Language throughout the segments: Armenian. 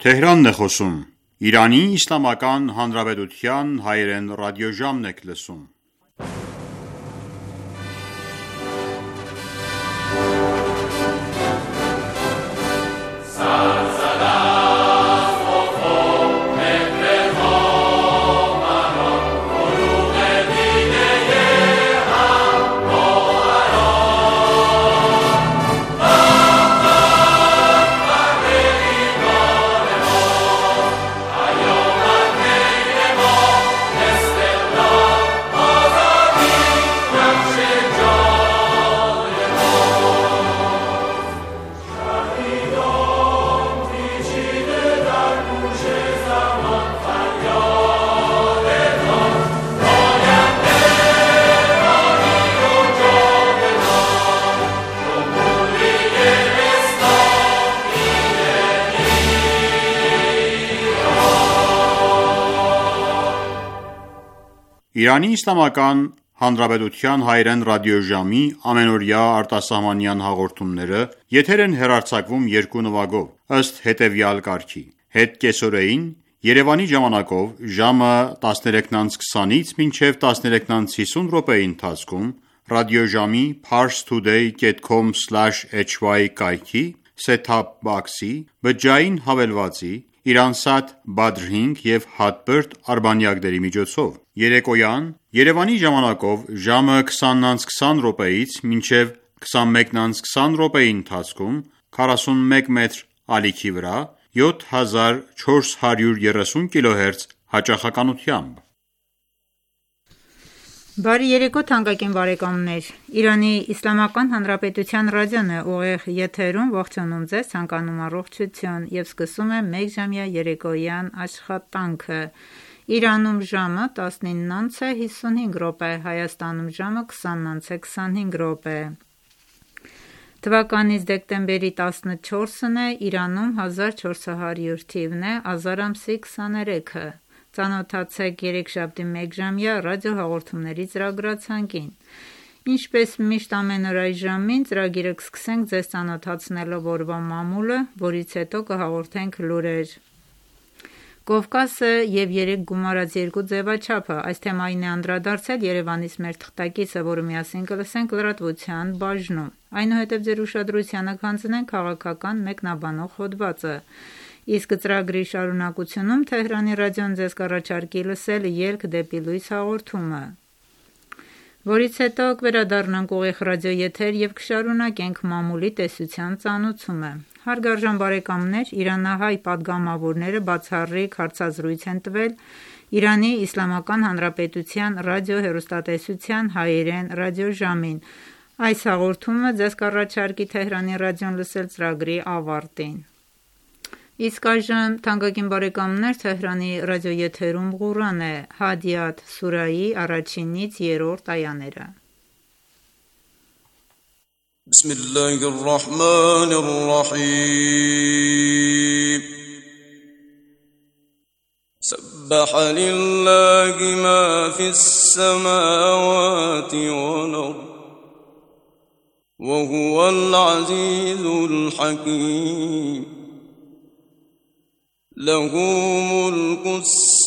Թեհրանն է խոսում, Իրանի Իսլամական Հանրապետության հայերեն ռադիոժամն եք լսում։ Իրանի Իսլամական Հանրապետության հայերեն ռադիոժամի ամենօրյա արտասահմանյան հաղորդումները եթեր են հեռարձակվում երկու նվագով, ըստ հետևյալ կարգի. Հետկեսօրեին Երևանի ժամանակով ժամը 13:20-ից մինչև 13:50 րոպեի ընթացքում ռադիոժամի parstoday.com/hy կայքի set-top box-ի բջջային հավելվածի Իրանսատ Badr 5 և Hotbird արբանյակների միջոցով։ Երեկոյան Երևանի ժամանակով ժամը 20:20 րոպեից մինչև 21:20 րոպեի ընթացքում 41 մետր ալիքի վրա 7430 կՀz հաճախականությամբ։ Բարի երեկո թանկագին բարեկամներ, Իրանի Իսլամական Հանրապետության ռադիոն է ուղիղ եթերում, ողջունում ձեզ, ցանկանում առողջություն եւ սկսում է մեկ ժամյա երեկոյան աշխատանքը։ Իրանում ժամը 19:55 րոպե, Հայաստանում ժամը 20:25 րոպե։ Թվականից դեկտեմբերի 14-ն է, Իրանում 1400 թիվն է, ազար ամսի 23-ը։ Ծանոթացեք երեքշաբթի մեկ ժամյա ռադիոհաղորդումների ծրագրացանկին։ Ինչպես միշտ ամեն օր այս ժամին ծրագիրը կսկսենք ձեզ ծանոթացնելով օրվա մամուլը, որից հետո կհաղորդենք լուրեր։ Կովկասը և 3 գումարած երկու ձևաչափը, այս թեմային է անդրադարձել Երևանից մեր թղթակիցը, որը միասին կլսենք լրատվության բաժնում։ Այնուհետև ձեր ուշադրությանը կհանձնենք քաղաքական մեկնաբանող հոդվածը։ Իսկ ծրագրի շարունակությունում Թեհրանի ռադիոն ձեզ կառաջարկի լսել «Ելք դեպի լույս» հաղորդումը, որից հետո կվերադառնանք ուղիղ ռադիոեթեր և կշարունակենք մամուլի տեսության ծանուցումը։ Հարգարժան բարեկամներ, իրանահայ պատգամավորները բացառիկ հարցազրույց են տվել Իրանի Իսլամական Հանրապետության ռադիո-հեռուստատեսության հայերեն ռադիոժամին։ Այս հաղորդումը ձեզ կառաջարկի Թեհրանի ռադիոն լսել ծրագրի ավարտին։ Իսկ այժմ, թանկագին բարեկամներ, Թեհրանի ռադիոեթերում Ղուրան է, Հադիաթ սուրայի 1-ից 3-րդ այաները։ Բիսմիլլահիռռահմանիռռահիմ Սաբբահ լիլլահի մա ֆիսսամավաթի վալ-արդ Վհուվալ ազիզուլ ሐકീം له ملك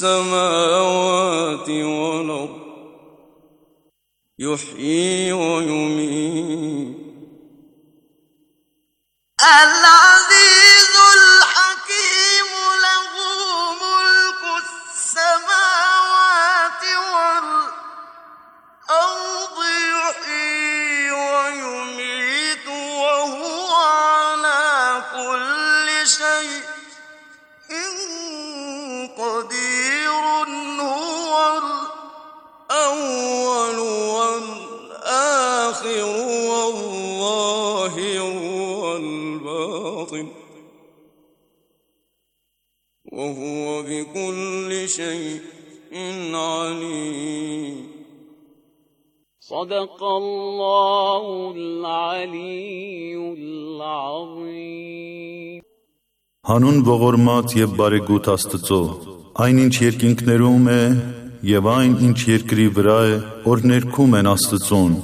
السماوات والأرض يحيي ويميت العزيز الحكيم له ملك السماوات والأرض يحيي ويميت وهو على كل شيء قدير هو الأول والآخر والظاهر والباطن وهو بكل شيء عليم صدق الله العلي العظيم Հանուն ողորմած և բարեգութ Աստծո, այն ինչ երկինքներում է և այն ինչ երկրի վրա է, որ ներքում են Աստծուն,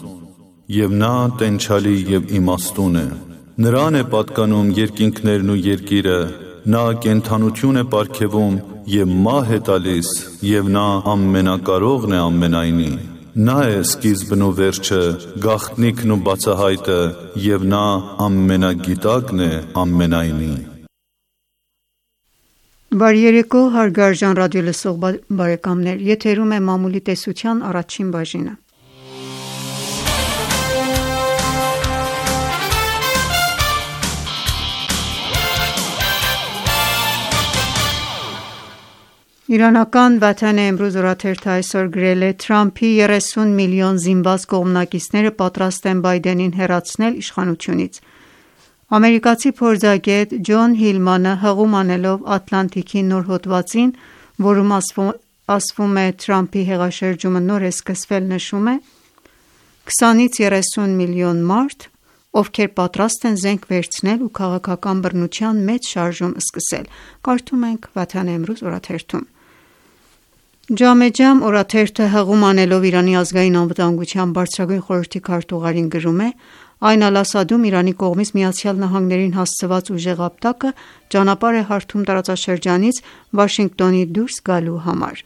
և նա տենչալի և իմաստուն է։ Նրան է պատկանում երկինքներն ու երկիրը, նա կենդանություն է պարգևում և մահ է տալիս, և նա ամենակարողն է ամենայնի։ Նա է սկիզբն ու վերջը, գաղտնիքն ու բացահայտը, և նա ամենագիտակն է ամենայնի։ Բարի երեկո, հարգարժան ռադիոլսող բարեկամներ, եթերում է մամուլի տեսության առաջին բաժինը։ Իրանական Վաթան Էմրուզ օրաթերթը այսօր գրել է. Թրամփի 30 միլիոն զինված կողմնակիցները պատրաստ են Բայդենին հեռացնել իշխանությունից։ Ամերիկացի փորձագետ Ջոն Հիլմանը հղում անելով Ատլանտիկի նոր հոդվածին, որում ասվում է Թրամփի հեղաշրջումը նոր է սկսվել, նշում է. 20-ից 30 միլիոն մարդ, ովքեր պատրաստ են զենք վերցնել ու քաղաքական բռնության մեծ շարժում սկսել։ Կարդում ենք Վաթան Էմրուզ օրաթերթում։ Ջամեջամ օրաթերթը հղում անելով Իրանի ազգային անվտանգության բարձրագույն խորհրդի քարտուղարին գրում է. Այն Ալ-Ասադում Իրանի կողմից ԱՄՆ-ին հասցված ուժեղ ապտակը ճանապարհ է հարթում տարածաշրջանից Վաշինգտոնի դուրս գալու համար։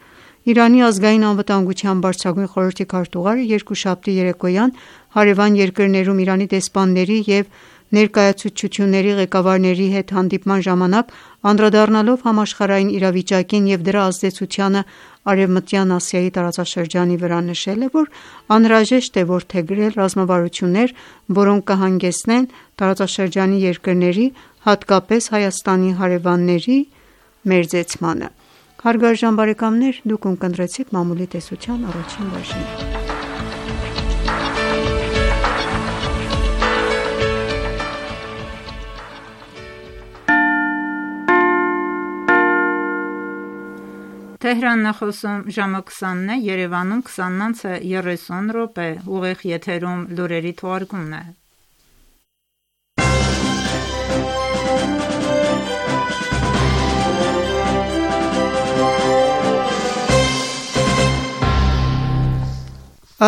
Իրանի ազգային անվտանգության բարձրագույն խորհրդի քարտուղարը երկուշաբթի երեկոյան հարևան երկրներում Իրանի դեսպանների և ներկայացուցչությունների ղեկավարների հետ հանդիպման ժամանակ անդրադառնալով համաշխարհային իրավիճակին և դրա ազդեցությանը Արևմտյան Ասիայի տարածաշրջանի վրա, նշել է, որ անհրաժեշտ է որդեգրել ռազմավարություններ, որոնք կհանգեցնեն տարածաշրջանի երկրների, հատկապես Հայաստանի հարևանների մերձեցմանը։ Հարգարժան բարեկամներ, դուք ունկնդրեցիք մամուլի տեսության առաջին բաժինը։ Թեհրանն է խոսում, ժամը 20-ն է, Երևանում 20:30 րոպե, ուղիղ եթերում լուրերի թողարկումն է։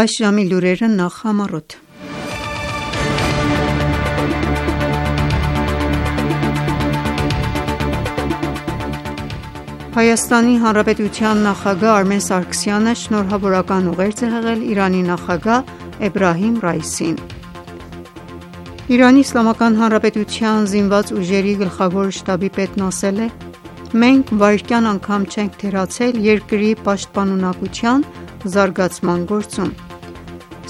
Այս ժամի լուրերը նախ համառոտ։ Հայաստանի Հանրապետության նախագահ Արմեն Սարգսյանը շնորհավորական ուղերձ է հղել Իրանի նախագահ Էբրահիմ Ռայիսին։ Իրանի Իսլամական Հանրապետության զինված ուժերի գլխավոր շտաբի պետն ասել է. Մենք վայրկյան անգամ չենք թերացել երկրի պաշտպանունակության զարգացման գործում։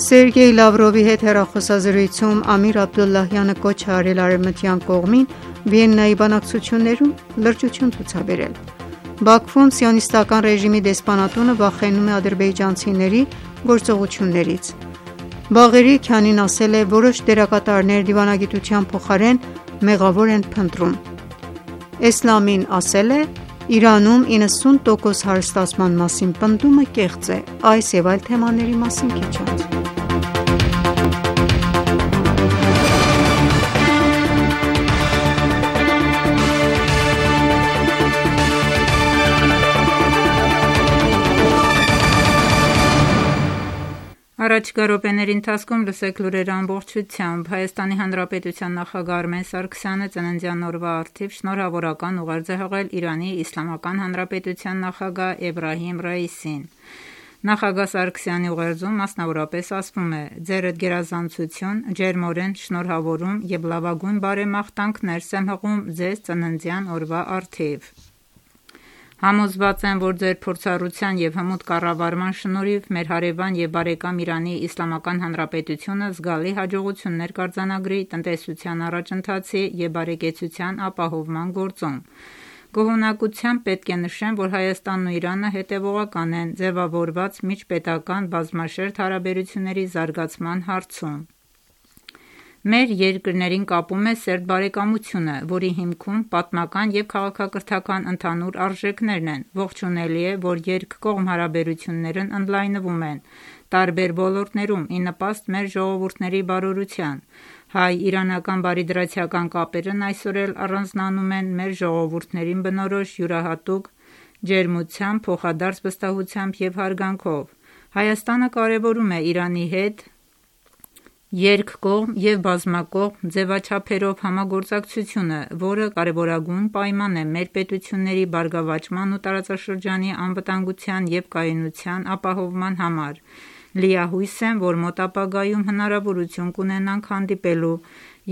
Սերգեյ Լավրովի հետ հեռախոսազրույցում Ամիր Աբդոլլահյանը կոչ է արել արևմտյան կողմին Վիեննայի բանակցություններում լրջություն ցուցաբերել։ Բաքվում սիոնիստական ռեժիմի դեսպանատունը վախենում է ադրբեջանցիների գործողություններից։ Բաղերի Քյանին ասել է, որոշ դերակատարներ դիվանագիտության փոխարեն մեղավոր են փնտրում։ Էսլամին ասել է, Իրանում 90% հարստացման մասին պնդումը կեղծ է։ Այս և այլ թեմաների մասին քիչ անց։ Առաջիկա րոպեների ընթացքում լսեք լուրերը ամբողջությամբ։ Հայաստանի Հանրապետության նախագահ Արմեն Սարգսյանը ծննդյան օրվա առթիվ շնորհավորական ուղերձ է հղել Իրանի Իսլամական Հանրապետության նախագահ Էբրահիմ Ռայիսին։ Նախագահ Սարգսյանի ուղերձում մասնավորապես ասվում է. «Ձերդ գերազանցություն, ջերմորեն շնորհավորում և լավագույն բարեմաղթանքներ եմ հղում ձեզ ծննդյան օրվա առթիվ։ Համոզված եմ, որ ձեր փորձառության և հմուտ կառավարման շնորհիվ մեր հարևան և բարեկամ Իրանի Իսլամական Հանրապետությունը զգալի հաջողություններ կարձանագրի տնտեսության առաջընթացի և բարեկեցության ապահովման գործում։ Գոհունակությամբ պետք է նշեմ, որ Հայաստանն ու Իրանը հետևողական են ձևավորված միջպետական բազմաշերտ հարաբերությունների զարգացման հարցում։ Մեր երկրներին կապում է սերտ բարեկամությունը, որի հիմքում պատմական և քաղաքակրթական ընդհանուր արժեքներն են։ Ողջունելի է, որ երկկողմ հարաբերություններն ընդլայնվում են տարբեր ոլորտներում ի նպաստ մեր ժողովուրդների բարօրության։ Հայ-իրանական բարիդրացիական կապերն այսօր էլ առանձնանում են մեր ժողովուրդներին բնորոշ յուրահատուկ ջերմությամբ, փոխադարձ վստահությամբ և հարգանքով։ Հայաստանը կարևորում է Իրանի հետ երկկողմ և բազմակողմ ձևաչափերով համագործակցությունը, որը կարևորագույն պայման է մեր պետությունների բարգավաճման ու տարածաշրջանի անվտանգության և կայունության ապահովման համար։ Լիահույս եմ, որ մոտ ապագայում հնարավորություն կունենանք հանդիպելու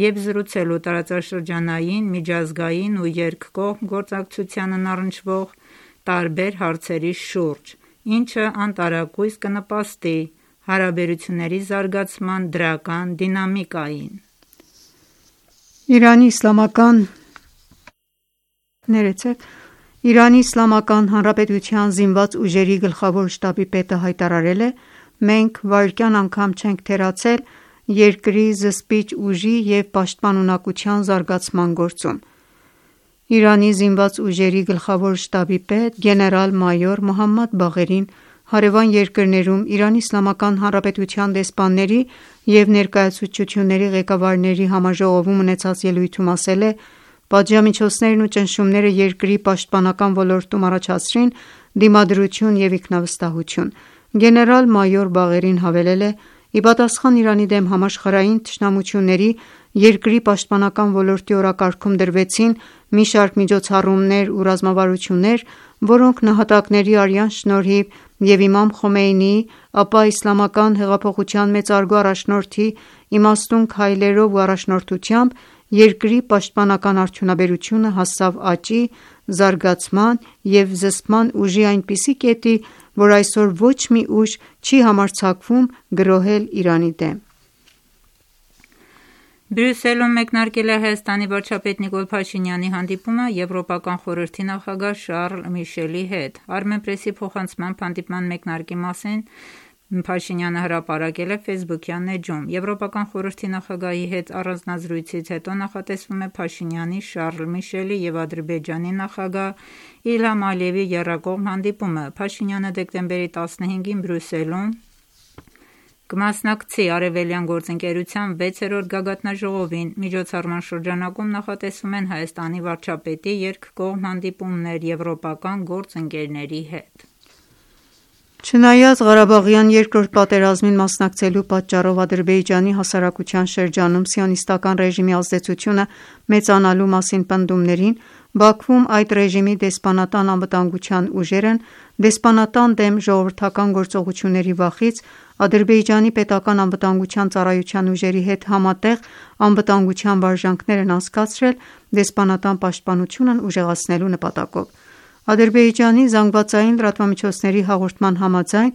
և զրուցելու տարածաշրջանային, միջազգային ու երկկողմ գործակցությանն առնչվող տարբեր հարցերի շուրջ, ինչը անտարակույս կնպաստի հարաբերությունների զարգացման դրական դինամիկային։ Իրանի Իսլամական Հանրապետության զինված ուժերի գլխավոր շտաբի պետը հայտարարել է. «Մենք վայրկյան անգամ չենք թերացել երկրի զսպիչ ուժի և պաշտպանունակության զարգացման գործում»։ Իրանի զինված ուժերի գլխավոր շտաբի պետ գեներալ-մայոր Մոհամմադ Բաղերին հարևան երկրներում Իրանի Իսլամական Հանրապետության դեսպանների և ներկայացուցչությունների ղեկավարների համաժողովում ունեցած ելույթում ասել է. «Պատժամիջոցներն ու ճնշումները երկրի պաշտպանական ոլորտում առաջացրին դիմադրություն և ինքնավստահություն»։ Գեներալ-մայոր Բաղերին հավելել է. «Ի պատասխան Իրանի դեմ համաշխարհային թշնամությունների, երկրի պաշտպանական ոլորտի օրակարգում դրվեցին մի շարք միջոցառումներ ու ռազմավարություններ, որոնք նահատակների արյան շնորհիվ և իմամ Խոմեյնիի, ապա Իսլամական հեղափոխության մեծարգո առաջնորդի իմաստուն քայլերով ու առաջնորդությամբ երկրի պաշտպանական արդյունաբերությունը հասավ աճի, զարգացման և զսպման ուժի այնպիսի կետի, որ այսօր ոչ մի ուժ չի համարձակվում գրոհել Իրանի դեմ»։ Բրյուսելում մեկնարկել է Հայաստանի վարչապետ Նիկոլ Փաշինյանի հանդիպումը Եվրոպական խորհրդի նախագահ Շարլ Միշելի հետ։ Armenpress-ի փոխանցմամբ հանդիպման մեկնարկի մասին Փաշինյանը հրապարակել է Facebook-յան էջում։ Եվրոպական խորհրդի նախագահի հետ առանձնազրույցից հետո նախատեսվում է Փաշինյանի, Շարլ Միշելի և Ադրբեջանի նախագահ Իլհամ Ալիևի եռակողմ հանդիպումը։ Փաշինյանը դեկտեմբերի 15-ին Բրյուսելում կմասնակցի Արևելյան գործընկերության 6-րդ գագաթնաժողովին։ Միջոցառման շրջանակում նախատեսվում են Հայաստանի վարչապետի երկկողմ հանդիպումներ եվրոպական գործընկերների հետ։ Չնայած Ղարաբաղյան երկրորդ պատերազմին մասնակցելու պատճառով Ադրբեջանի հասարակության շրջանում սիոնիստական ռեժիմի ազդեցությունը մեծանալու մասին պնդումներին, Բաքվում այդ ռեժիմի դեսպանատան անվտանգության ուժերն դեսպանատան դեմ ժողովրդական գործողությունների վախից Ադրբեջանի պետական անվտանգության ծառայության ուժերի հետ համատեղ անվտանգության վարժանքներ են անցկացրել դեսպանատան պաշտպանությունն ուժեղացնելու նպատակով։ Ադրբեջանի ԶԼՄ-ների հաղորդման համաձայն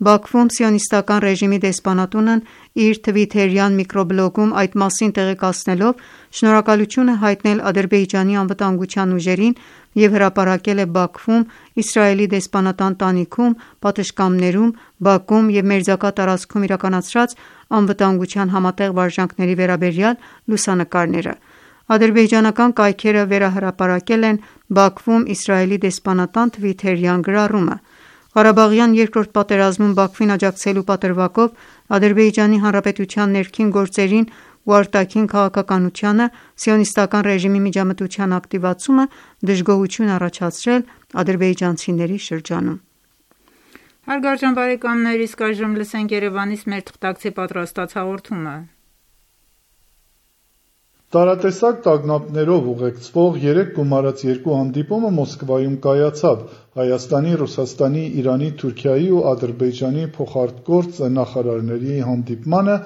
Բաքվում սիոնիստական ռեժիմի դեսպանատունն իր թվիթերյան միկրոբլոգում այդ մասին տեղեկացնելով շնորհակալություն է հայտնել Ադրբեջանի անվտանգության ուժերին և հրապարակել է Բաքվում, Իսրայելի դեսպանատան տանիքում, պատշգամբներում, Բաքում և մերձակա տարածքում իրականացրած անվտանգության համատեղ վարժանքների վերաբերյալ լուսանկարները։ Ադրբեջանական կայքերը վերահրապարակել են Բաքվում Իսրայելի դեսպանատան թվիթերյան գրառումը։ Ղարաբաղյան երկրորդ պատերազմում Բաքվին աջակցելու պատրվակով Ադրբեջանի Հանրապետության ներքին գործերին ու արտաքին քաղաքականությանը սիոնիստական ռեժիմի միջամտության ակտիվացումը դժգոհություն է առաջացրել ադրբեջանցիների շրջանում։ Հարգարժան բարեկամներ, իսկ այժմ լսենք Երևանից մեր թղթակցի պատրաստած հաղորդումը։ Տարատեսակ տագնապներով ուղեկցվող 3 գումարած 2 հանդիպումը Մոսկվայում կայացավ։ Հայաստանի, Ռուսաստանի, Իրանի, Թուրքիայի ու Ադրբեջանի փոխարտգործ նախարարների հանդիպմանը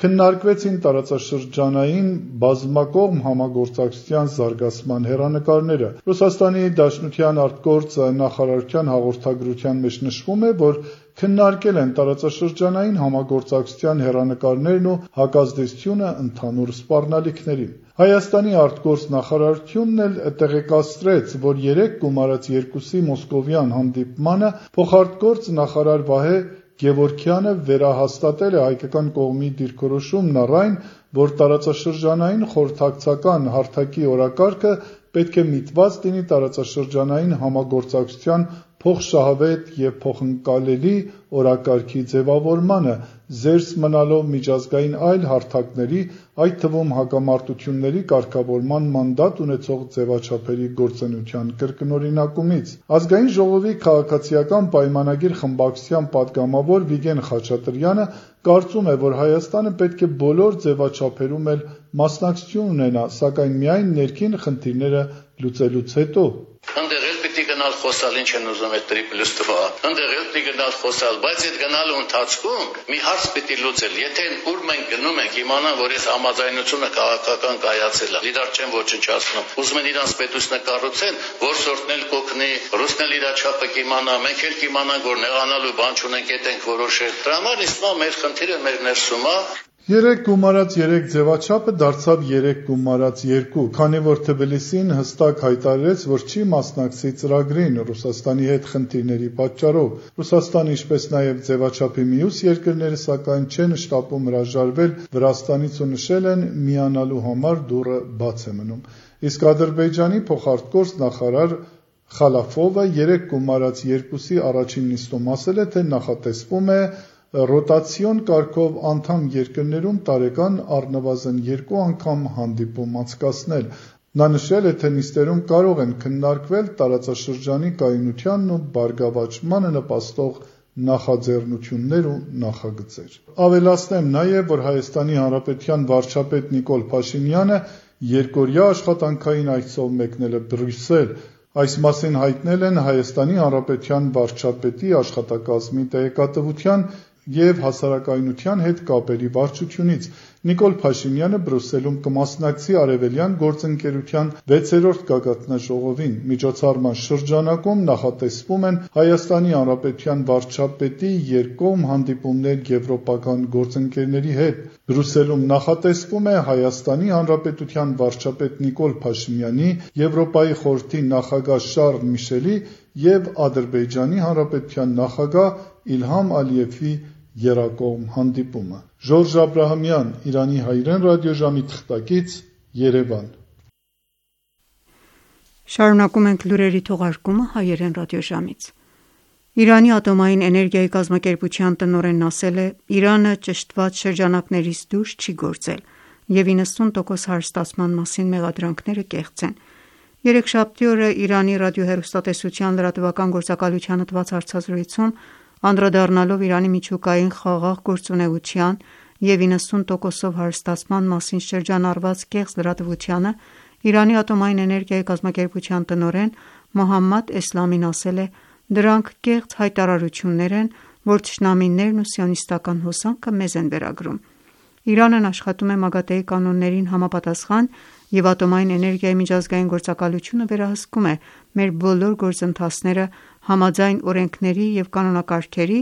քննարկվեցին տարածաշրջանային բազմակողմ համագործակցության զարգացման հեռանկարները։ Ռուսաստանի Դաշնության արտգործ նախարարության հաղորդագրության մեջ նշվում է, որ քննարկել են տարածաշրջանային համագործակցության հեռանկարներն ու հակազդեցությունը ընդհանուր սպառնալիքներին։ Հայաստանի արտգործ նախարարությունն էլ տեղեկացրեց, որ 3 գումարած 2-ի մոսկովյան հանդիպմանը փոխարտգործ նախարար Վահե Գևորգյանը վերահաստատել է հայկական կողմի դիրքորոշումն առ այն, որ տարածաշրջանային խորհրդակցական հարթակի օրակարգը պետք է միտված լինի տարածաշրջանային համագործակցության փոխշահավետ և փոխընկալելի օրակարգի ձևավորմանը, զերծ մնալով միջազգային այլ հարթակների, այդ թվում հակամարտությունների կարգավորման մանդատ ունեցող ձևաչափերի գործունեության կրկնօրինակումից։ Ազգային ժողովի քաղաքացիական պայմանագիր խմբակցության պատգամավոր Վիգեն Խաչատրյանը կարծում է, որ Հայաստանը պետք է բոլոր ձևաչափերում էլ մասնակցություն ունենա, սակայն միայն ներքին խնդիրները լուծելուց հետո։ Գնալ խոսալ ինչ են ուզում այդ 3+2, ընդեղ էլ գնալ խոսալ, բայց այդ գնալու ընթացքում մի հարց պիտի լուծել, եթե ուր մենք գնում ենք իմանան, որ այս համաձայնությունը քաղաքական կայացել է, իրար չեն ոչնչացնում, ուզում են իրանց պետությունը կառուցեն, որ սորտն էլ կօգնի, ռուսն էլ իր չափը կիմանա, մենք էլ կիմանանք, որ նեղանալու բան չունենք, այդ ենք որոշել։ Դրա համար իսկա մեր խնդիրը մեր ներսում է։ 3 գումարած 3 ձևաչափը դարձավ 3 գումարած 2, քանի որ Թբիլիսին հստակ հայտարարեց, որ չի մասնակցի ծրագրին Ռուսաստանի հետ խնդիրների պատճառով։ Ռուսաստանը, ինչպես նաև ձևաչափի մյուս երկրները, սակայն չեն շտապում հրաժարվել Վրաստանից ու նշել են միանալու համար դուռը բաց է մնում։ Իսկ Ադրբեջանի փոխարտգործ նախարար Խալաֆովը 3 գումարած 2-ի առաջին նիստում ասել է, թե նախատեսվում է ռոտացիոն կարգով անդամ երկրներում տարեկան առնվազն 2 անգամ հանդիպում անցկացնել։ Նա նշել է, թե նիստերում կարող են քննարկվել տարածաշրջանի կայունությանն ու բարգավաճմանը նպաստող նախաձեռնություններ ու նախագծեր։ Ավելացնեմ նաև, որ Հայաստանի Հանրապետության վարչապետ Նիկոլ Փաշինյանը երկօրյա աշխատանքային այցով մեկնել է Բրյուսել։ Այս մասին հայտնել են Հայաստանի Հանրապետության վարչապետի աշխատակազմի տեղեկատվության և հասարակայնության հետ կապերի վարչությունից։ Նիկոլ Փաշինյանը Բրյուսելում կմասնակցի Արևելյան գործընկերության 6-րդ գագաթնաժողովին։ Միջոցառման շրջանակում նախատեսվում են Հայաստանի Հանրապետության վարչապետի երկկողմ հանդիպումներ եվրոպական գործընկերների հետ։ Բրյուսելում նախատեսվում է Հայաստանի Հանրապետության վարչապետ Նիկոլ Փաշինյանի, Եվրոպայի խորհրդի նախագահ Շարլ Միշելի և Ադրբեջանի Հանրապետության նախագահ Իլհամ Ալիևի եռակողմ հանդիպումը։ Ժորժ Աբրահամյան, Իրանի հայրեն ռադիոժամի թղթակից, Երևան։ Շարունակում ենք լուրերի թողարկումը հայերեն ռադիոժամից։ Իրանի ատոմային էներգիայի կազմակերպության տնօրենն ասել է. «Իրանը ճշտված շրջանակներից դուրս չի գործել և 90% հարստացման մասին մեղադրանքները կեղծ են»։ Երեքշաբթի օրը Իրանի ռադիոհեռուստատեսության լրատվական գործակալությանը տված հարցազրույցում անդրադառնալով Իրանի միջուկային խաղաղ գործունեության և 90%-ով հարստացման մասին շրջանառված կեղծ լրատվությանը, Իրանի ատոմային էներգիայի կազմակերպության տնօրեն Մոհամմադ Էսլամին ասել է. «Դրանք կեղծ հայտարարություններ են, որ թշնամիներն ու սիոնիստական հոսանքը մեզ են վերագրում»։ Իրանն աշխատում է ՄԱԳԱՏԷ-ի կանոններին համապատասխան և ատոմային էներգիայի միջազգային գործակալությունը վերահսկում է մեր բոլոր գործընթացները համաձայն օրենքների և կանոնակարգերի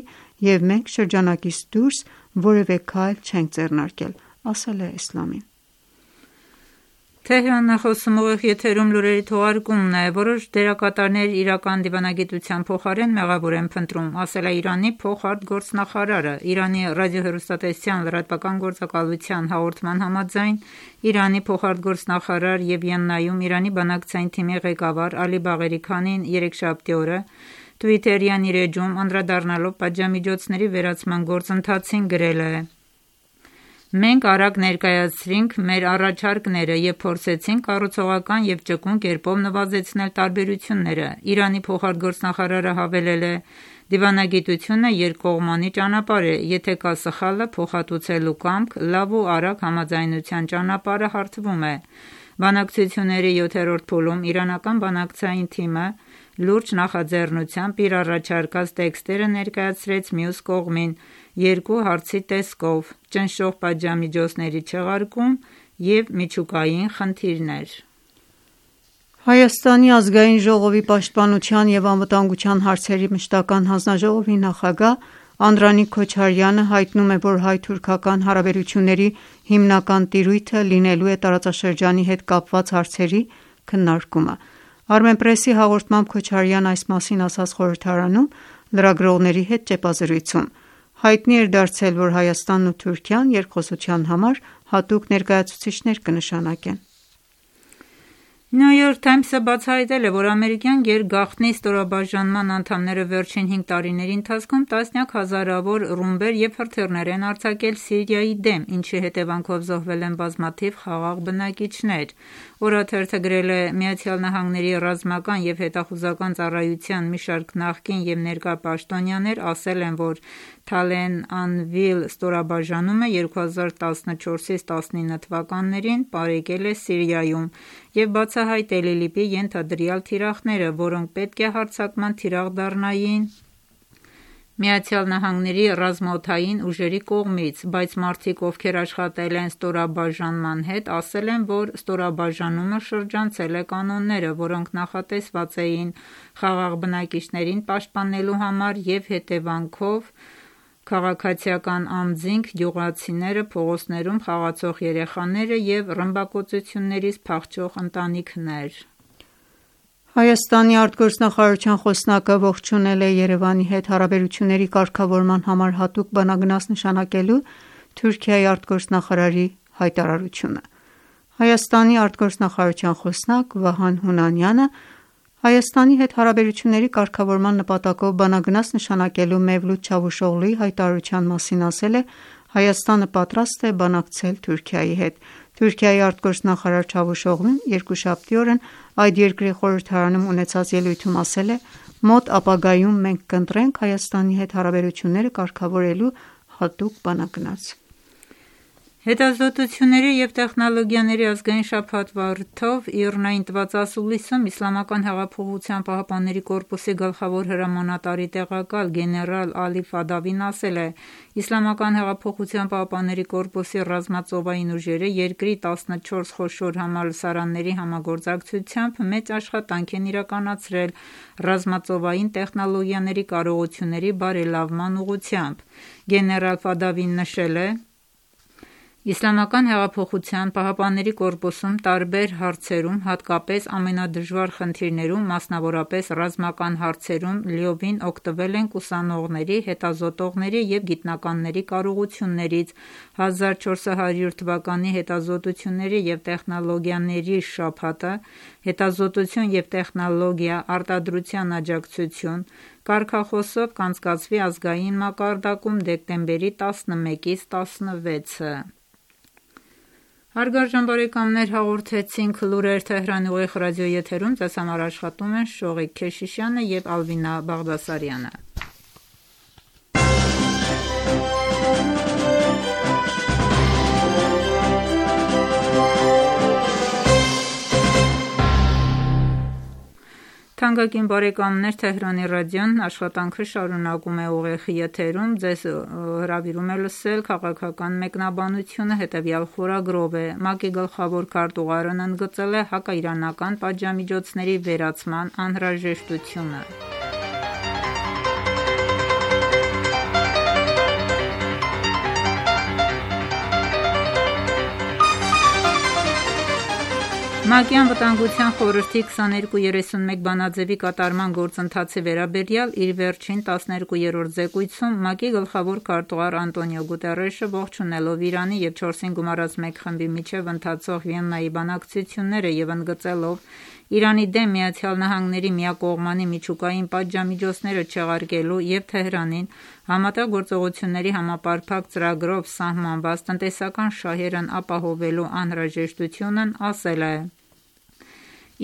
և մենք շրջանակից դուրս որևէ քայլ չենք ձեռնարկել, ասել է Էսլամին։ Թեհրանն է խոսում ուղիղ եթերում լուրերի թողարկումն է։ Որոշ դերակատարներ իրական դիվանագիտության փոխարեն մեղավոր են փնտրում, ասել է Իրանի փոխարտգործնախարարը։ Իրանի ռադիոհեռուստատեսության լրատվական գործակալության հաղորդման համաձայն Իրանի փոխարտգործնախարար և Վիեննայում Իրանի բանակցային թիմի ղեկավար Ալի Բաղերի Քանին երեքշաբթի օրը Twitter-յան իր էջում անդրադառնալով պատժամիջոցների վերացման գործընթացին գրել է. «Մենք արագ ներկայացրինք մեր առաջարկները և փորձեցինք կառուցողական և ճկուն կերպով նվազեցնել տարբերությունները»։ Իրանի փոխարտգործնախարարը հավելել է. «Դիվանագիտությունը երկկողմանի ճանապարհ է, եթե կա սխալը փոխհատուցելու կամք, լավ ու արագ համաձայնության ճանապարհը հարթվում է»։ Բանակցությունների 7-րդ փուլում իրանական բանակցային թիմը լուրջ նախաձեռնությամբ իր առաջարկած տեքստերը ներկայացրեց մյուս կողմին երկու հարցի տեսքով՝ ճնշող պատժամիջոցների չեղարկում և միջուկային խնդիրներ։ Հայաստանի ազգային ժողովի պաշտպանության և անվտանգության հարցերի մշտական հանձնաժողովի նախագահ Անդրանիկ Քոչարյանը հայտնում է, որ հայ-թուրքական հարաբերությունների հիմնական տիրույթը լինելու է տարածաշրջանի հետ կապված հարցերի քննարկումը։ Armenpress-ի հաղորդմամբ Քոչարյանն այս մասին ասաց խորհրդարանում լրագրողների հետ ճեպազրույցում։ Հայտնի էր դարձել, որ Հայաստանն ու Թուրքիան երկխոսության համար հատուկ ներկայացուցիչներ կնշանակեն։ New York Times-ը բացահայտել է, որ ամերիկյան գերգաղտնի ստորաբաժանման անդամները վերջին 5 տարիների ընթացքում տասնյակ հազարավոր ռումբեր և հրթիռներ են արձակել Սիրիայի դեմ, ինչի հետևանքով զոհվել են բազմաթիվ խաղաղ բնակիչներ։ Օրաթերթը գրել է. ԱՄՆ-ի ռազմական և հետախուզական ծառայության մի շարք նախկին և ներկա պաշտոնյաներ ասել են, որ Թալեն Անվիլ ստորաբաժանումը 2014-ից 19 թվականներին պարեկել է Սիրիայում և բացահայտել ԻԼԻՊ-ի ենթադրյալ թիրախները, որոնք պետք է հարձակման թիրախ դառնային ԱՄՆ-ի ռազմաօդային ուժերի կողմից, բայց մարդիկ, ովքեր աշխատել են ստորաբաժանման հետ, ասել են, որ ստորաբաժանումը շրջանցել է կանոնները, որոնք նախատեսված էին խաղաղ բնակիչներին պաշտպանելու համար և հետևանքով քաղաքացիական անձինք, գյուղացիները, փողոցներում խաղացող երեխաները և ռմբակոծություններից փախչող ընտանիքներ։ Հայաստանի արտգործնախարարության խոսնակը ողջունել է Երևանի հետ հարաբերությունների կարգավորման համար հատուկ բանագնաց նշանակելու Թուրքիայի արտգործնախարարի հայտարարությունը։ Հայաստանի արտգործնախարարության խոսնակ Վահան Հունանյանը Հայաստանի հետ հարաբերությունների կարգավորման նպատակով բանագնաց նշանակելու Մևլութ Չավուշօղլուի հայտարարության մասին ասել է. Հայաստանը պատրաստ է բանակցել Թուրքիայի հետ։ Թուրքիայի արտգործնախարար Չավուշօղլուն երկուշաբթի օրն այդ երկրի խորհրդարանում ունեցած ելույթում ասել է. «Մոտ ապագայում մենք կընտրենք Հայաստանի հետ հարաբերությունները կարգավորելու հատուկ բանագնաց»։ Հետազոտությունների և տեխնոլոգիաների ազգային շաբաթվա առիթով ԻՌՆԱ-ին տված ասուլիսում Իսլամական հեղափոխության պահապանների կորպուսի գլխավոր հրամանատարի տեղակալ գեներալ Ալի Ֆադավին ասել է. «Իսլամական հեղափոխության պահապանների կորպուսի ռազմածովային ուժերը երկրի 14 խոշոր համալսարանների համագործակցությամբ մեծ աշխատանք են իրականացրել ռազմածովային տեխնոլոգիաների կարողությունների բարելավման ուղղությամբ»։ Գեներալ Ֆադավին նշել է. «Իսլամական հեղափոխության պահապանների կորպուսում տարբեր հարցերում, հատկապես ամենադժվար խնդիրներում, մասնավորապես ռազմական հարցերում լիովին օգտվել ենք ուսանողների, հետազոտողների և գիտնականների կարողություններից։ 1400 թվականի հետազոտությունների և տեխնոլոգիաների շաբաթը «Հետազոտություն և տեխնոլոգիա. արտադրության աջակցություն» կարգախոսով կանցկացվի ազգային մակարդակում դեկտեմբերի 11-ից 16-ը։ Հարգարժան բարեկամներ, հաղորդեցինք լուրեր Թեհրանի ուղիղ ռադիոեթերում, ձեզ համար աշխատում են Շողիկ Քեշիշյանը և Ալվինա Բաղդասարյանը։ Թանկագին բարեկամներ, Թեհրանի ռադիոն աշխատանքը շարունակում է ուղիղ եթերում, ձեզ հրավիրում է լսել քաղաքական մեկնաբանությունը, հետևյալ խորագրով է. ՄԱԿ-ի գլխավոր քարտուղարն ընդգծել է հակաիրանական պատժամիջոցների վերացման անհրաժեշտությունը։ ՄԱԿ-ի Անվտանգության խորհրդի 2231 բանաձևի կատարման գործընթացի վերաբերյալ իր վերջին 12-րդ զեկույցում ՄԱԿ-ի գլխավոր քարտուղար Անտոնիո Գուտերեշը ողջունելով Իրանի և 4-ին գումարած մեկ խմբի միջև ընթացող Վիեննայի բանակցությունները և ընդգծելով Իրանի դեմ ԱՄՆ-ի միակողմանի միջուկային պատժամիջոցները չեղարկելու և Թեհրանին Համատեղ գործողությունների համապարփակ ծրագրով սահմանված տնտեսական շահերն ապահովելու անհրաժեշտությունն ասել է.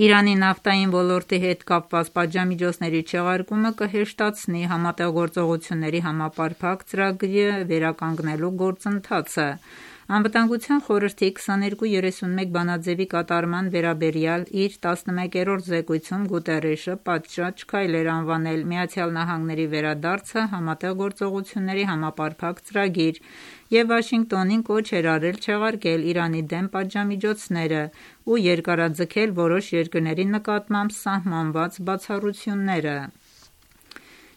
«Իրանի նավթային ոլորտի հետ կապված պատժամիջոցների չեղարկումը կհեշտացնի Համատեղ գործողությունների համապարփակ ծրագրի վերականգնելու գործընթացը»։ Անվտանգության խորհրդի 2231 բանաձևի կատարման վերաբերյալ իր 11-րդ զեկույցում Գուտերեշը պատշաճ քայլ էր անվանել ԱՄՆ-ի վերադարձը Համատեղ գործողությունների համապարփակ ծրագիր և Վաշինգտոնին կոչ էր արել չեղարկել Իրանի դեմ պատժամիջոցները ու երկարաձգել որոշ երկրների նկատմամբ սահմանված բացառությունները։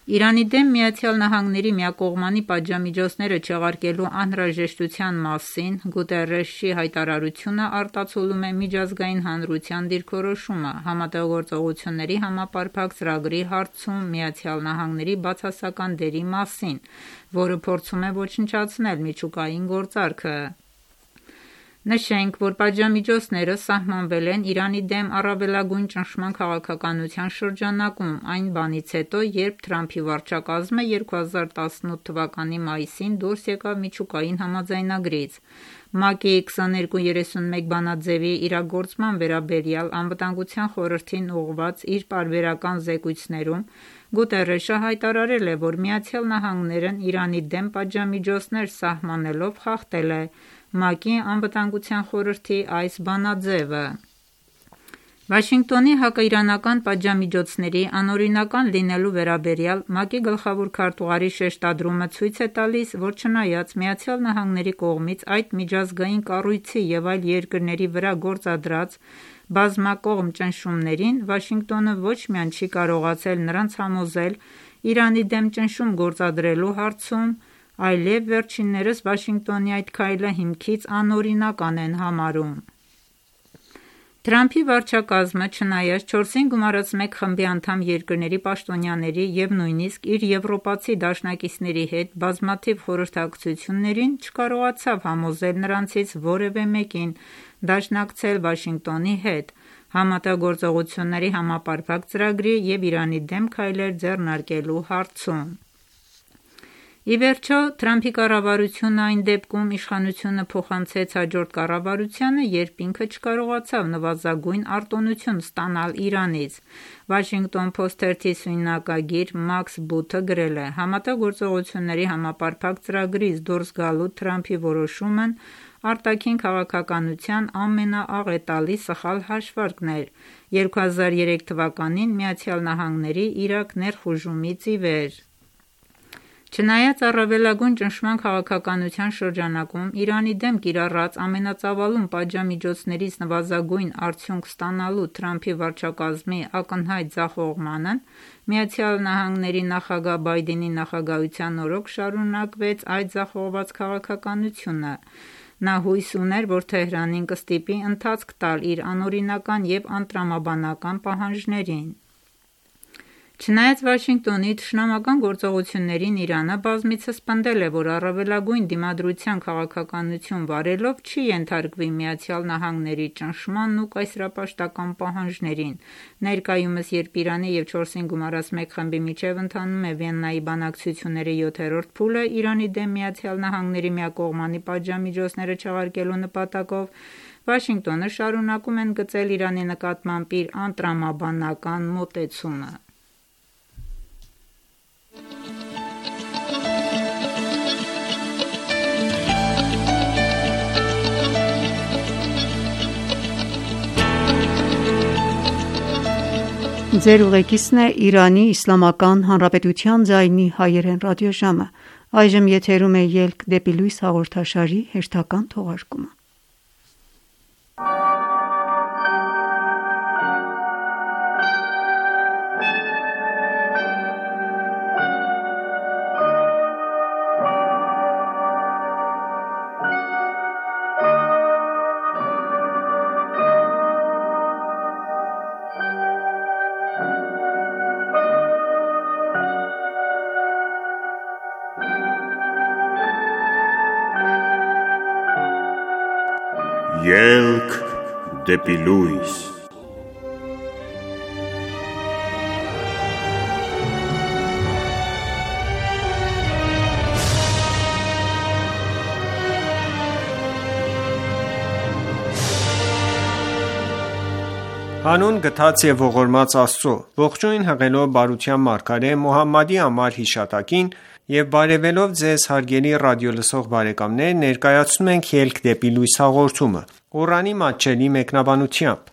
Իրանի դեմ ԱՄՆ-ի միակողմանի պատժամիջոցները չեղարկելու անհրաժեշտության մասին Գուտերեշի հայտարարությունը արտացոլում է միջազգային հանրության դիրքորոշումը Համատեղ գործողությունների համապարփակ ծրագրի հարցում ԱՄՆ-ի բացասական դերի մասին, որը փորձում է ոչնչացնել միջուկային գործարքը։ Նշենք, որ պատժամիջոցները սահմանվել են Իրանի դեմ առավելագույն ճնշման քաղաքականության շրջանակում, այն բանից հետո, երբ Թրամփի վարչակազմը 2018 թվականի մայիսին դուրս եկավ միջուկային համաձայնագրից։ ՄԱԿ-ի 2231 բանաձևի իրագործման վերաբերյալ Անվտանգության խորհրդին ուղղված իր պարբերական զեկույցներում Գուտերեշը հայտարարել է, որ ԱՄՆ-ն Իրանի դեմ պատժամիջոցներ սահմանելով խախտել է ՄԱԿ-ի Անվտանգության խորհրդի այս բանաձևը։ Վաշինգտոնի հակաիրանական պատժամիջոցների անօրինական լինելու վերաբերյալ ՄԱԿ-ի գլխավոր քարտուղարի շեշտադրումը ցույց է տալիս, որ չնայած ԱՄՆ-ի կողմից այդ միջազգային կառույցի և այլ երկրների վրա գործադրած բազմակողմ ճնշումներին, Վաշինգտոնը ոչ միայն չի կարողացել նրանց համոզել Իրանի դեմ ճնշում գործադրելու հարցում, այլև վերջիններս Վաշինգտոնի այդ քայլը հիմքից անօրինական են համարում։ Թրամփի վարչակազմը, չնայած 4-ին գումարած 1 խմբի անդամ երկրների պաշտոնյաների և նույնիսկ իր եվրոպացի դաշնակիցների հետ բազմաթիվ խորհրդակցություններին, չկարողացավ համոզել նրանցից որևէ մեկին դաշնակցել Վաշինգտոնի հետ Համատեղգործողությունների համապարփակ ծրագրի և Իրանի դեմ քայլեր ձեռնարկելու հարցում։ Ի վերջո, Թրամփի կառավարությունը այն դեպքում իշխանությունը փոխանցեց հաջորդ կառավարությանը, երբ ինքը չկարողացավ նվազագույն արտոնություն ստանալ Իրանից։ Washington Post թերթի սյունյակագիր Մաքս Բութը գրել է. «Համատեղգործողությունների համապարփակ ծրագրից դուրս գալու Թրամփի որոշումն արտաքին քաղաքականության ամենաաղետալի սխալ հաշվարկն էր 2003 թվականին ԱՄՆ-ի Իրաք ներխուժումից ի վեր»։ Չնայած առավելագույն ճնշման քաղաքականության շրջանակում Իրանի դեմ կիրառած ամենածավալուն պատժամիջոցներից նվազագույն արդյունք ստանալու Թրամփի վարչակազմի ակնհայտ ձախողմանն, ԱՄՆ նախագահ Բայդենի նախագահության օրոք շարունակվեց այդ ձախողված քաղաքականությունը։ Նա հույս ուներ, որ Թեհրանին կստիպի ընթացք տալ իր անօրինական և անտրամաբանական պահանջներին։ Չնայած Վաշինգտոնի թշնամական գործողություններին Իրանը բազմիցս պնդել է, որ առավելագույն դիմադրության քաղաքականություն վարելով չի ենթարկվի ԱՄՆ-ի ճնշմանն ու կայսերապաշտական պահանջներին։ Ներկայումս, երբ Իրանի և 4-ին գումարած 1 խմբի միջև ընթանում է Վիեննայի բանակցությունների 7-րդ փուլը Իրանի դեմ ԱՄՆ միակողմանի պատժամիջոցները չեղարկելու նպատակով, Վաշինգտոնը շարունակում են գծել Իրանի նկատմամբ իր անտրամաբանական մոտեցումը։ Ձեր ուղեկիցն է Իրանի Իսլամական Հանրապետության ձայնի հայերեն ռադիոժամը։ Այժմ եթերում է «Ելք դեպի լույս» հաղորդաշարի հերթական թողարկումը։ Ելք դեպի լույս։ Հանուն գթած և ողորմած Աստծո, ողջույն հղելով բարության մարգարե Մոհամմադի անմար հիշատակին և բարևելով Ձեզ հարգելի ռադիոլսող բարեկամներ, ներկայացնում ենք «Ելք դեպի լույս» հաղորդումը, Ղուրանի մատչելի մեկնաբանությամբ: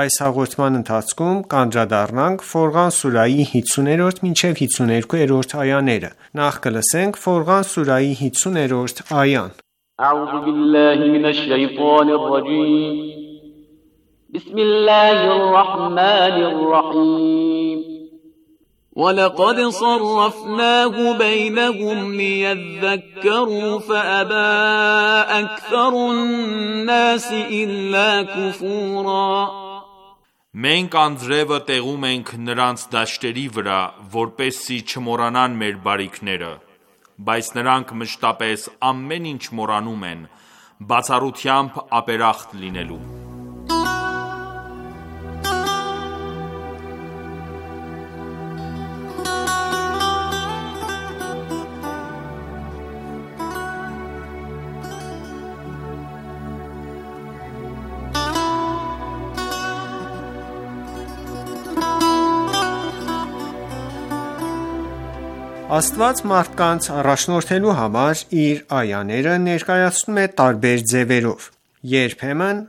Այս հաղորդման ընթացքում կանդրադառնանք Ֆորղան սուրահի 50-րդ մինչև 52-րդ այաները: Նախ կլսենք Ֆորղան սուրահի 50-րդ այան. بسم الله الرحمن الرحيم وَلَقَدْ صَرَّفْنَاهُ بَيْنَهُمْ لِيَذَّكَّرُوا فَأَبَى أَكْثَرُ النَّاسِ إِلَّا كُفُورًا Մենք անձրևը տեղում ենք նրանց դաշտերի վրա, որպեսզի չմոռանան մեր բարիքները, բայց նրանք մշտապես ամեն ինչ մոռանում են, բացառությամբ ապերախտ լինելու: Աստված մարդկանց առաջնորդելու համար իր այաները ներկայացնում է տարբեր ձևերով: Երբեմն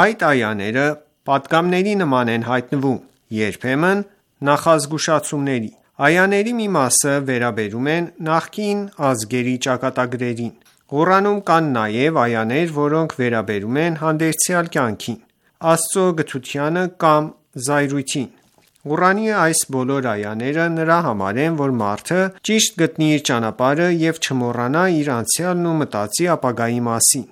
այդ այաները պատգամների նման են հայտնվում, երբեմն նախազգուշացումների: Այաների մի մասը վերաբերում են նախկին ազգերի ճակատագրերին: Ղուրանում կան նաև այաներ, որոնք վերաբերում են հանդերձյալ կյանքին, Աստծո գթությանը կամ զայրույթին: Ղուրանի այս բոլոր այաները նրա համար են, որ մարդը ճիշտ գտնի իր ճանապարհը և չմոռանա իր անցյալն ու մտածի ապագայի մասին: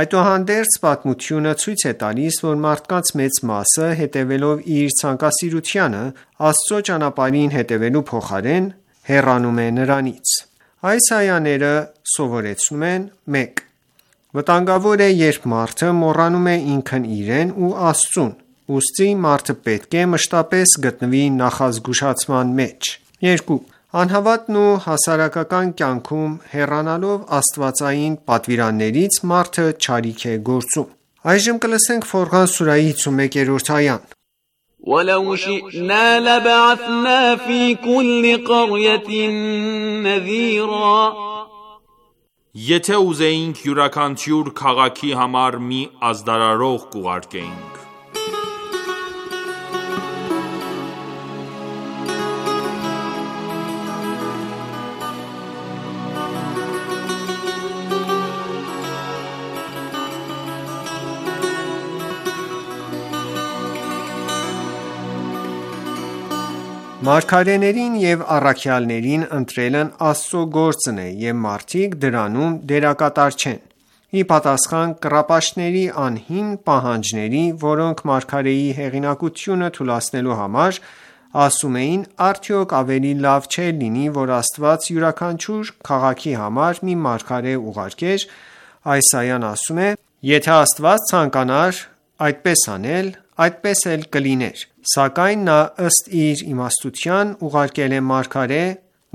Այդուհանդերձ պատմությունը ցույց է տալիս, որ մարդկանց մեծ մասը, հետևելով իր ցանկասիրությանը, Աստծո ճանապարհին հետևելու փոխարեն, հեռանում է նրանից: Այս այաները սովորեցնում են. 1. Վտանգավոր է, երբ մարդը մոռանում է ինքն իրեն ու Աստծուն, ուստի մարդը պետք է մշտապես գտնվի նախազգուշացման մեջ: 2. Անհավատն ու հասարակական կյանքում հեռանալով աստվածային պատվիրաններից, մարդը չարիք է գործում: Ֆորղան սուրահի 51-րդ այան وَلَوْ شِئْنَا لَبَعَثْنَا فِي كُلِّ قَرْيَةٍ نَذِيرًا Եթե ուզեինք յուրաքանչյուր քաղաքի համար մի ազդարարող կուղարկեինք: Մարգարեներին և առաքյալներին ընտրելն Աստծո գործն է և մարդիկ դրանում դերակատար չեն: Ի պատասխան կռապաշտների անհիմն պահանջների, որոնք մարգարեի հեղինակությունը թուլացնելու համար ասում էին, արդյոք ավելի լավ չէր լինի, որ Աստված յուրաքանչյուր քաղաքի համար մի մարգարե ուղարկեր: Այս այան ասում է. Եթե Աստված ցանկանար այդպես անել, այդպես էլ կլիներ: Սակայն նա ըստ իր իմաստության ուղարկել է մարգարե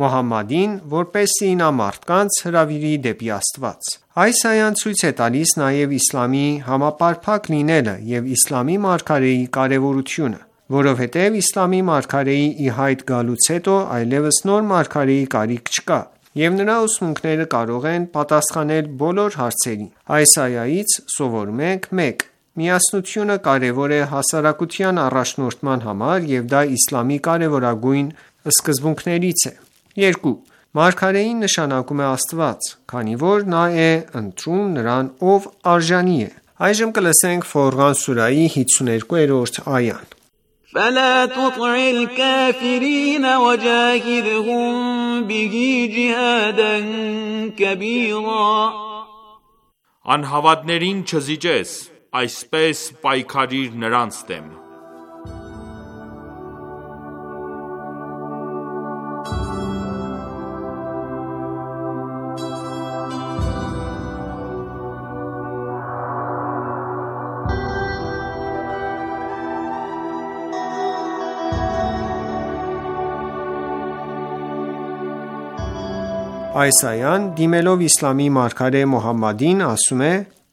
Մոհամմադին, որպեսզի նա մարդկանց հրավիրի դեպի Աստված: Այս այան ցույց է տալիս նաև իսլամի համապարփակ լինելը և իսլամի մարգարեի կարևորությունը: Որովհետև իսլամի մարգարեի ի հայտ գալուց հետո այլևս նոր մարգարեի կարիք չկա և նրա ուսմունքները կարող են պատասխանել բոլոր հարցերին: Այս այայից սովորում ենք. 1. Միասնությունը կարևոր է հասարակության առաջնորդման համար և դա իսլամի կարևորագույն սկզբունքներից է: 2. Մարգարեին նշանակում է Աստված, քանի որ նա է ընտրում նրան, ով արժանի է: Ֆորղան սուրահի 52-րդ այա فَلَا تُطِعِ الْكَافِرِينَ وَجَاهِدْهُم بِهِ جِهَادًا كَبِيرًا Անհավատներին չզիջես, այսպես պայքարիր նրանց դեմ: Այս այան, դիմելով իսլամի մարգարե Մոհամմադին, ասում է.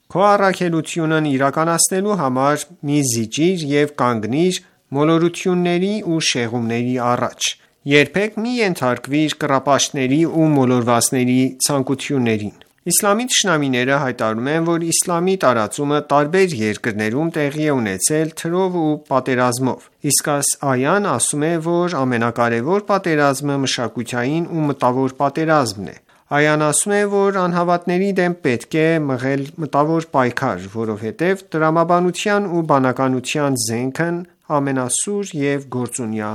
Քո առաքելությունն իրականացնելու համար մի զիջիր և կանգնիր մոլորությունների ու շեղումների առաջ: Երբեք մի ենթարկվիր կռապաշտների ու մոլորվածների ցանկություններին: Իսլամի թշնամիները հայտարարում են, որ իսլամի տարածումը տարբեր երկրներում տեղի է ունեցել թրով ու պատերազմով: Իսկ այս այան ասում է, որ ամենակարևոր պատերազմը մշակութային ու մտավոր պատերազմն է: Այան ասում է, որ անհավատների դեմ պետք է մղել մտավոր պայքար, որովհետև տրամաբանության ու բանականության զենքն ամենասուր և գործունյա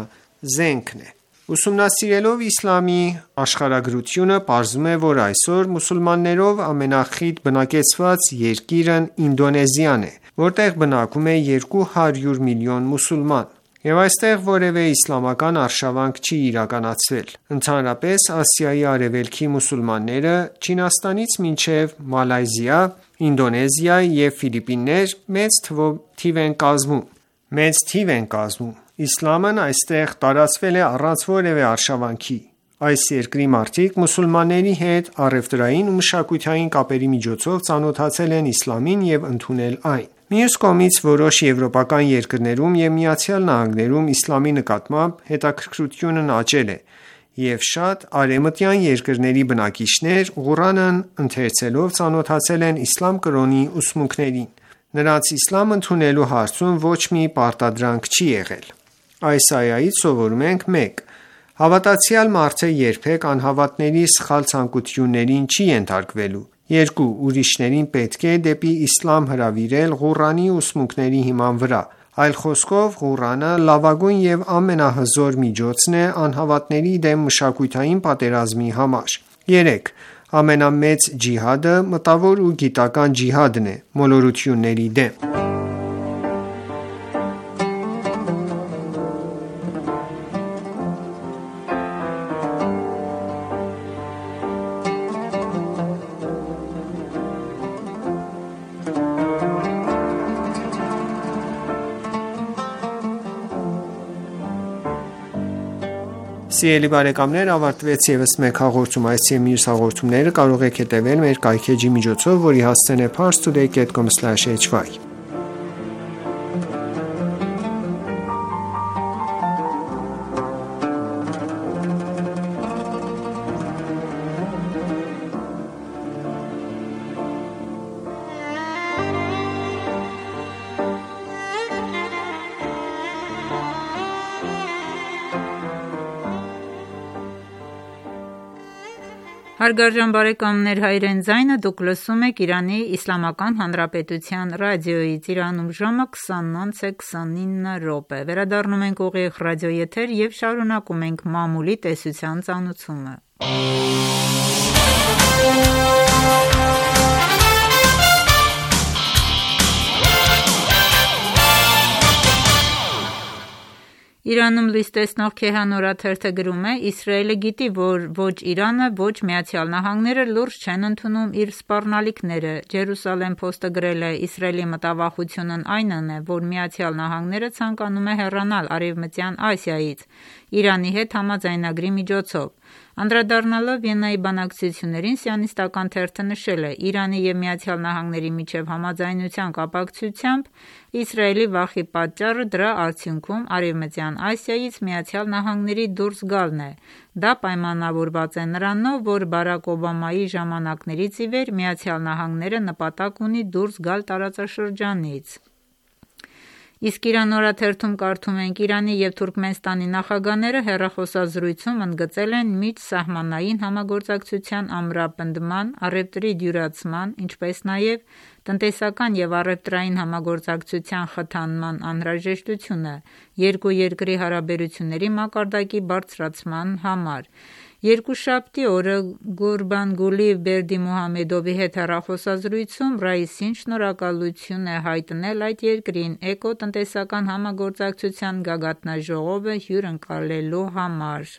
զենքն է: Ուսումնասիրելով իսլամի աշխարհագրությունը, պարզվում է, որ այսօր մուսուլմաններով ամենախիտ բնակեցված երկիրն Ինդոնեզիան է, որտեղ բնակվում է 200 միլիոն մուսուլման, և այստեղ որևէ իսլամական արշավանք չի իրականացվել: Ընդհանրապես, Ասիայի արևելքի մուսուլմանները, Չինաստանից մինչև Մալայզիա, Ինդոնեզիա և Ֆիլիպիններ մեծ թիվ են կազմում։ Իսլամն այստեղ տարածվել է առանց որևէ արշավանքի։ Այս երկրի մարդիկ մուսուլմանների հետ առևտրային ու մշակութային կապերի միջոցով ծանոթացել են իսլամին և ընդունել այն։ Մյուս կողմից, որոշ եվրոպական երկրներում և ԱՄՆ-ում իսլամի նկատմամբ հետաքրքրությունն աճել է, և շատ արևմտյան երկրների բնակիչներ Ղուրանն ընթերցելով ծանոթացել են իսլամ կրոնի ուսմունքներին։ Նրանց իսլամ ընդունելու հարցում ոչ մի պարտադրանք չի եղել։ Այս այայից սովորում ենք. 1. Հավատացյալ մարդը երբեք անհավատների սխալ ցանկություններին չի ենթարկվելու։ 2. Ուրիշներին պետք է դեպի իսլամ հրավիրել Ղուրանի ուսմունքների հիման վրա։ Այլ խոսքով, Ղուրանը լավագույն և ամենահզոր միջոցն է անհավատների դեմ մշակութային պատերազմի համար։ 3. Ամենամեծ ջիհադը մտավոր ու գիտական ջիհադն է՝ մոլորությունների դեմ։ Սիրելի բարեկամներ, ավարտվեց ևս մեկ հաղորդում։ Այս և մյուս հաղորդումները կարող եք հետևել մեր կայքէջի միջոցով, որի հասցեն է parstoday.com/hy: Հարգարժան բարեկամներ, Հայրեն ձայնը դուք լսում եք Իրանի Իսլամական Հանրապետության ռադիոյից։ Իրանում ժամը 20:29 է։ Վերադառնում ենք ուղիղ ռադիոեթեր և շարունակում ենք մամուլի տեսության ծանուցումը։ Իրանում լույս տեսնող Քեհան օրաթերթը գրում է. Իսրայելը գիտի, որ ոչ Իրանը, ոչ ԱՄՆ-ը լուրջ չեն ընդունում իր սպառնալիքները։ Ջերուսալեմ Փոստը գրել է. Իսրայելի մտավախությունն այնն է, որ ԱՄՆ-ը ցանկանում է հեռանալ Արևմտյան Ասիայից Իրանի հետ համաձայնագրի միջոցով։ Անդրադառնալով Վիեննայի բանակցություններին, Սիոնիստական թերթը նշել է. Իրանի և ԱՄՆ-ի միջև համաձայնության կապակցությամբ Իսրայելի վախի պատճառը դրա արդյունքում Արևմտյան Ասիայից ԱՄՆ-ի դուրս գալն է։ Դա պայմանավորված է նրանով, որ Բարաք Օբամայի ժամանակներից ի վեր ԱՄՆ-ը նպատակ ունի դուրս գալ տարածաշրջանից։ Իսկ Իրան օրաթերթում կարդում ենք. Իրանի և Թուրքմենստանի նախագահները հեռախոսազրույցում ընդգծել են միջսահմանային համագործակցության ամրապնդման, առևտրի դյուրացման, ինչպես նաև տնտեսական և առևտրային համագործակցության խթանման անհրաժեշտությունը երկու երկրի հարաբերությունների մակարդակի բարձրացման համար։ Երկուշաբթի օրը Գուրբանգուլի Բերդիմուհամեդովի հետ հեռախոսազրույցում Ռայիսին շնորհակալություն է հայտնել այդ երկրին էկոտնտեսական համագործակցության գագաթնաժողովը հյուրընկալելու համար։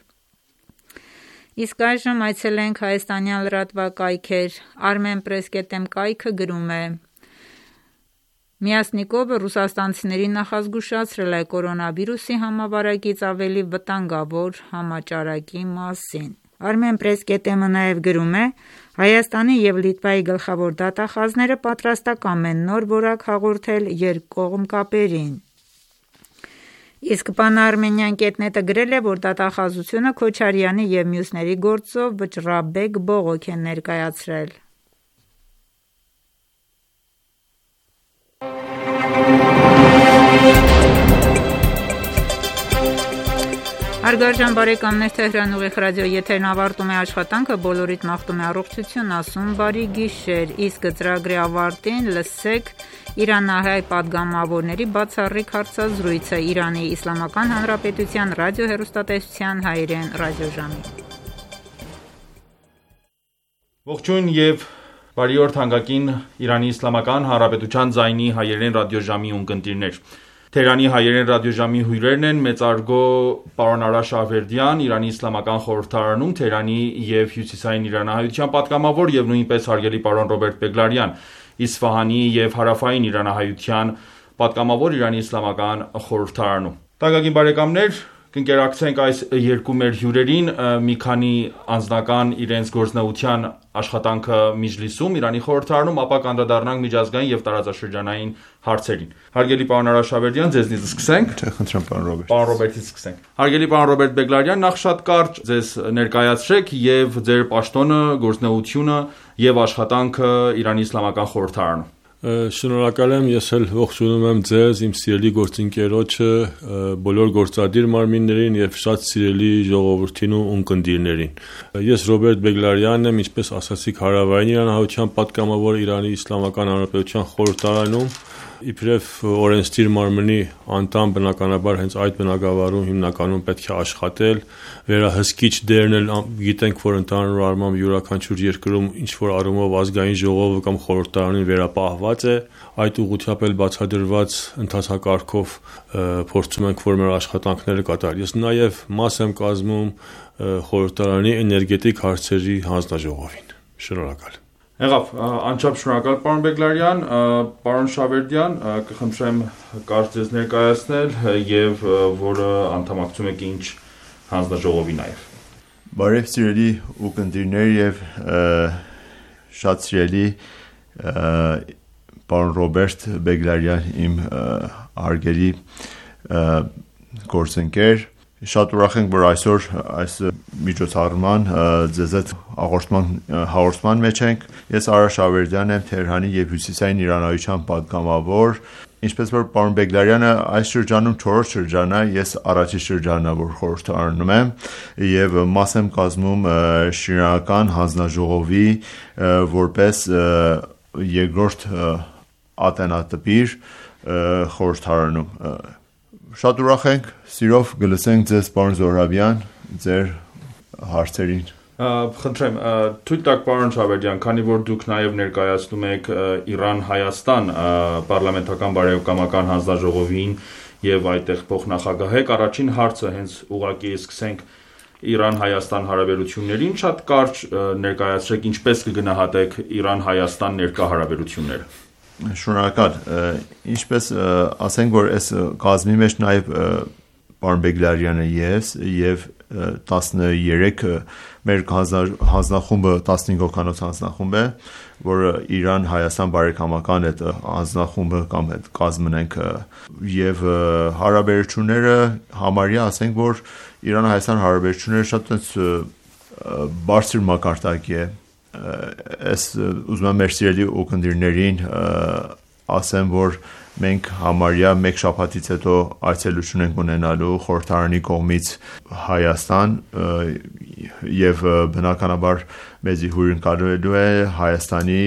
Իսկ այժմ այցելենք հայաստանյան լրատվակայքեր։ Armenpress.am կայքը գրում է. Միասնիկովը ռուսաստանցիներին նախազգուշացրել է կորոնավիրուսի համավարակից ավելի վտանգավոր համաճարակի մասին։ Armenpress.am-ը նաև գրում է. Հայաստանի և Լիտվայի գլխավոր դատախազները պատրաստակամ են նոր որակ հաղորդել երկկողմ կապերին։ Իսկ Pan-Armenian.net-ը գրել է, որ դատախազությունը Քոչարյանի և մյուսների գործով վճռաբեկ բողոք է ներկայացրել։ Հարգարժան բարեկամներ, Թեհրան ուղիղ ռադիոյի եթերն ավարտում է աշխատանքը, բոլորիդ մաղթում է առողջություն, ասում բարի գիշեր, իսկ ծրագրի ավարտին լսեք իրանահայ պատգամավորների բացառիկ հարցազրույցը Իրանի Իսլամական Հանրապետության ռադիոհեռուստատեսության հայերեն ռադիոժամի։ Ողջույն և բարի օր թանկագին Իրանի Իսլամական Հանրապետության ձայնի հայերեն ռադիոժամի ունկնդիրներ։ Թեհրանի հայերեն ռադիոժամի հյուրերն են մեծարգո պարոն Արա Շահվերդյան, Իրանի Իսլամական խորհրդարանում Թեհրանի և Հյուսիսային Իրանահայության պատգամավոր և նույնպես հարգելի պարոն Ռոբերտ Բեգլարյան, Իսֆահանի և հարավային իրանահայության պատգամավոր Իրանի իսլամական խորհրդարանում։ Թանկագին բարեկամներ, կընկերակցենք այս երկու մեր հյուրերին մի քանի անձնական իրենց գործնեության աշխատանքը Միջլիսում, Իրանի խորհրդարանում, ապա կանդրադառնանք միջազգային և տարածաշրջանային հարցերին։ Հարգելի պարոն Արաշավերդյան, ձեզնից սկսենք։ Խնդրեմ պարոն Ռոբերտ։ Պարոն Ռոբերտից սկսենք։ Հարգելի պարոն Ռոբերտ Բեգլարյան, նախ շատ կարճ ձեզ ներկայացրեք եւ ձեր պաշտոնը, գործնեությունը եւ աշխատանքը Իրանի իսլամական խորհրդարանում։ Շնորհակալ եմ, ես էլ ողջունում եմ ձեզ, իմ սիրելի գործընկերոջը, բոլոր գործադիր մարմիններին եւ շատ սիրելի ժողովրդին ու ունկնդիրներին։ Ես Ռոբերտ Բեգլարյանն եմ, ինչպես ասացիք, հարավային իրանահայության պատգամավոր Իրանի Իսլամական Հանրապետության խորհրդարանում, իբրև օրենսդիր մարմնի անդամ, բնականաբար հենց այդ բնակավարում հիմնականում պետք է աշխատել, վերահսկիչ դերն էլ գիտենք, որ ընդհանուր առմամբ յուրաքանչյուր երկրում ինչ որ առումով ազգային ժողովը կամ խորհրդարանին վերապահված է, այդ ուղղությամբ էլ բացադրված ընթացակարգով փորձում ենք, որ մեր աշխատանքները կատարել։ Ես նաև մաս եմ կազմում խորհրդարանի էներգետիկ հարցերի հանձնաժողովին։ Շնորհակալ։ Եղավ, անչափ շնորհակալ պարոն Բեգլարյան, պարոն Շավերդյան, կխնդրեմ կարճ ձեզ ներկայացնել եւ որը անդամակցում եք ինչ հանձնաժողովի նաեւ։ Բարև սիրելի ուղդիրներ եւ շատ սիրելի պարոն Ռոբերտ Բեգլարյան, իմ արգելի գործընկեր, շատ ուրախ ենք, որ այսօր այս միջոցառման ձեզ հետ հաղորդման մեջ ենք։ Ես Արաշ Ավերդյանն եմ, Թեհրանի եւ Հյուսիսային Իրանահայության պատգամավոր։ Ինչպես որ պարոն Բեգլարյանը այս շրջանում 4-րդ շրջանն է, ես առաջի շրջանն եմ, որ խորհրդարանում եմ եւ մաս եմ կազմում շինարարական հանձնաժողովի որպես երկրորդ ատենատպիր խորհրդարանում։ Շատ ուրախ ենք, սիրով կլսենք ձեզ պարոն Զոհրաբյան, ձեր հարցերին։ Խնդրեմ, թույլ տաք պարոն Շավերդյան, քանի որ դուք նաև ներկայացնում եք Իրան-Հայաստան պարլամենտական բարեկամական հանձնաժողովին եւ այդտեղ փոխնախագահ եք, առաջին հարցը հենց ուղղակի սկսենք Իրան-Հայաստան հարաբերություններին, շատ կարճ ներկայացրեք ինչպես կգնահատեք Իրան-Հայաստան ներկա հարաբերությունները։ Շնորհակալ, ինչպես ասենք, որ այս կազմի մեջ նաև պարոն Բեգլարյանը եւ 13 մեր հանձնախումբը 15 հոգանոց հանձնախումբ է, որը Իրան-Հայաստան բարեկամական այդ հանձնախումբը կամ այդ կազմն ենք եւ հարաբերությունները համարյա ասենք, որ Իրան-Հայաստան հարաբերությունները շատ բարձր մակարդակի է։ Ես ուզում եմ մեր սիրելի ուղդիրներին ասեմ, որ մենք համարյա մեկ շաբաթից հետո այցելություն ենք ունենալու խորհրդարանի կողմից Հայաստան եւ բնականաբար մեզի հյուրընկալելու է Հայաստանի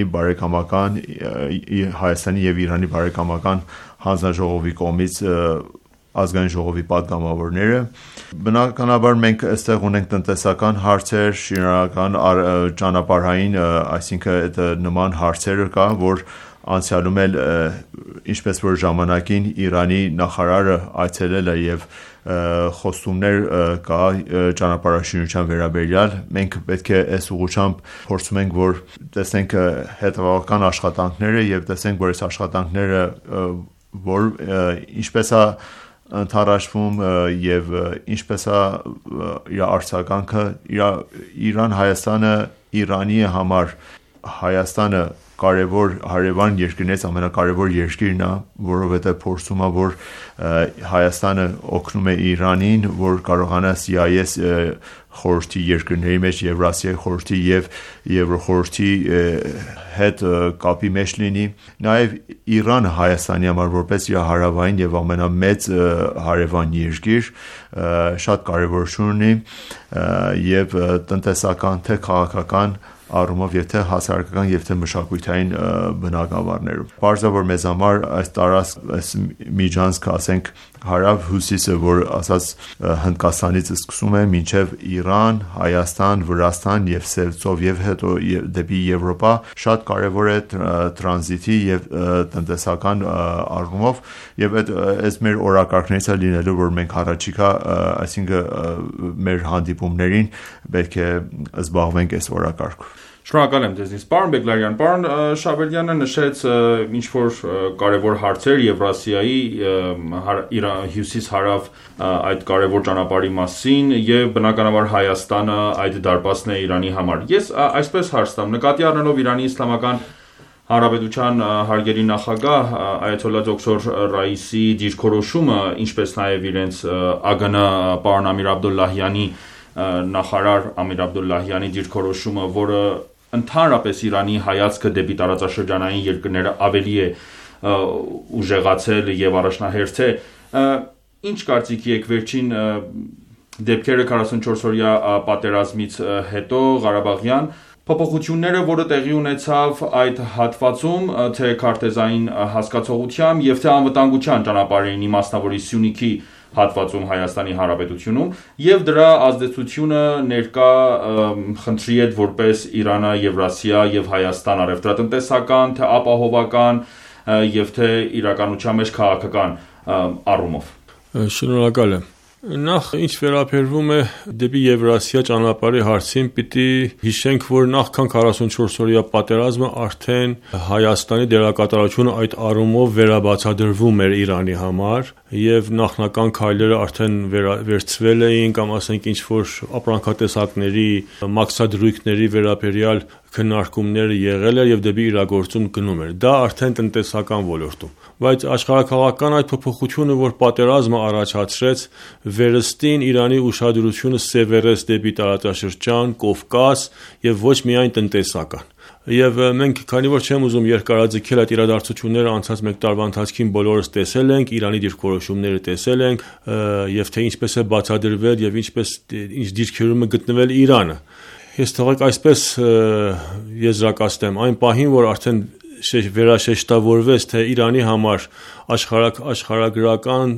եւ Իրանի բարեկամական հանձնաժողովի կողմից ազգային ժողովի պատգամավորները։ Բնականաբար մենք այստեղ ունենք տնտեսական հարցեր, շինարարական, ճանապարհային, այսինքն այդ նման հարցերը կա, որ անցյալում էլ ինչպես որ ժամանակին Իրանի նախարարը այցելել է եւ խոստումներ կա ճանապարհաշինության վերաբերյալ, մենք պետք է այս ուղղությամբ փորձում ենք, որ տեսնենք հետևական աշխատանքները եւ տեսնենք, որ այս աշխատանքները որ ինչպես է ընթառաջվում եւ ինչպես է իր արձագանքը Իրան-Հայաստանը Իրանի համար Հայաստանը կարևոր հարևան երկրներից ամենակարևոր երկիրն է, որովհետեւ փորձում է, որ Հայաստանը օգնում է Իրանին, որ կարողանա CIS խորհրդի երկրների մեջ Եվրասիայի խորհրդի եւ Եվրոխորհրդի հետ կապի մեջ լինի։ Նաեւ Իրանը Հայաստանի համար որպես իր հարավային եւ ամենամեծ հարևան երկիր շատ կարևորություն ունի եւ տնտեսական թե քաղաքական առումով եւ թե հասարակական եւ թե մշակութային բնակավարներում։ Պարզավոր մեզ համար այս տարածք, այս միջանցքը, ասենք հարավ-հյուսիսը, որ ասած Հնդկաստանից սկսում է մինչև Իրան, Հայաստան, Վրաստան եւ Սելցով եւ հետո դեպի Եվրոպա, շատ կարեւոր է տրանզիտի եւ տնտեսական առումով եւ այս մեր օրակարգներից է լինելու, որ մենք առաջիկա, այսինքն մեր հանդիպումներին պետք է զբաղվենք այս օրակարգով։ Շնորհակալ եմ ձեզնից, պարոն Բեգլարյան։ Պարոն Շաբերդյանը նշեց ինչ-որ կարևոր հարցեր Եվրասիայի հյուսիս-հարավ այդ կարևոր ճանապարհի մասին եւ բնականաբար Հայաստանը այդ դարպասն է Իրանի համար։ Ես այսպես հարց տամ, նկատի առնելով Իրանի Իսլամական Հանրապետության հարգելի նախագահ Այաթոլլա դոկտոր Ռայիսի դիրքորոշումը, ինչպես նաև իրենց ԱԳՆ պարոն Ամիր Աբդոլլահյանի նախարար Ամիր Աբդոլլահյանի դիրքորոշումը, որը ընդհանրապես Իրանի հայացքը դեպի տարածաշրջանային երկրները ավելի է ուժեղացել եւ առաջնահերթել, ինչ կարծիքի եք վերջին դեպքերը 44-օրյա պատերազմից հետո Ղարաբաղյան փոփոխությունները, որը տեղի ունեցավ այդ հատվածում, թե քարտեզային հասկացողությամբ եւ թե անվտանգության ճանապարհին իմաստնավորի Սյունիքի հատվածում Հայաստանի Հանրապետությունում եւ դրա ազդեցությունը ներկա խնդրի հետ որպես Իրանը, Եվրասիա եւ Հայաստան առևտրատնտեսական, թե ապահովական եւ թե իրականության մեջ քաղաքական առումով։ Շնորհակալ եմ։ Նախ ինչ վերաբերվում է դեպի Եվրասիա ճանապարհի հարցին, պիտի հիշենք, որ նախքան 44-օրյա պատերազմը արդեն Հայաստանի դերակատարությունը այդ առումով վերաբացատրվում էր Իրանի համար եւ նախնական քայլերը արդեն վերցվել էին կամ ասենք ինչ որ ապրանքատեսակների մաքսադրույքների վերաբերյալ քննարկումները եղել էր եւ դեպի իրագործում գնում էր։ Դա արդեն տնտեսական ոլորտում, բայց աշխարհակաղակական այդ փոփոխությունը, որ պատերազմը առաջացրեց, վերստին Իրանի ուշադրությունը սևեռեց դեպի տարածաշրջան, Կովկաս եւ ոչ միայն տնտեսական։ Եվ մենք, քանի որ չեմ ուզում երկարաձգել այդ իրադարձությունները, անցած մեկ տարվա ընթացքին բոլորս տեսել ենք, Իրանի դիրքորոշումները տեսել ենք, եւ թե ինչպես է բացադրվել եւ ինչ դիրքերում է գտնվել Իրանը։ Ես թողեք այսպես եզրակացնեմ, այն պահին, որ արդեն վերաշեշտավորվեց, թե Իրանի համար աշխարհագրական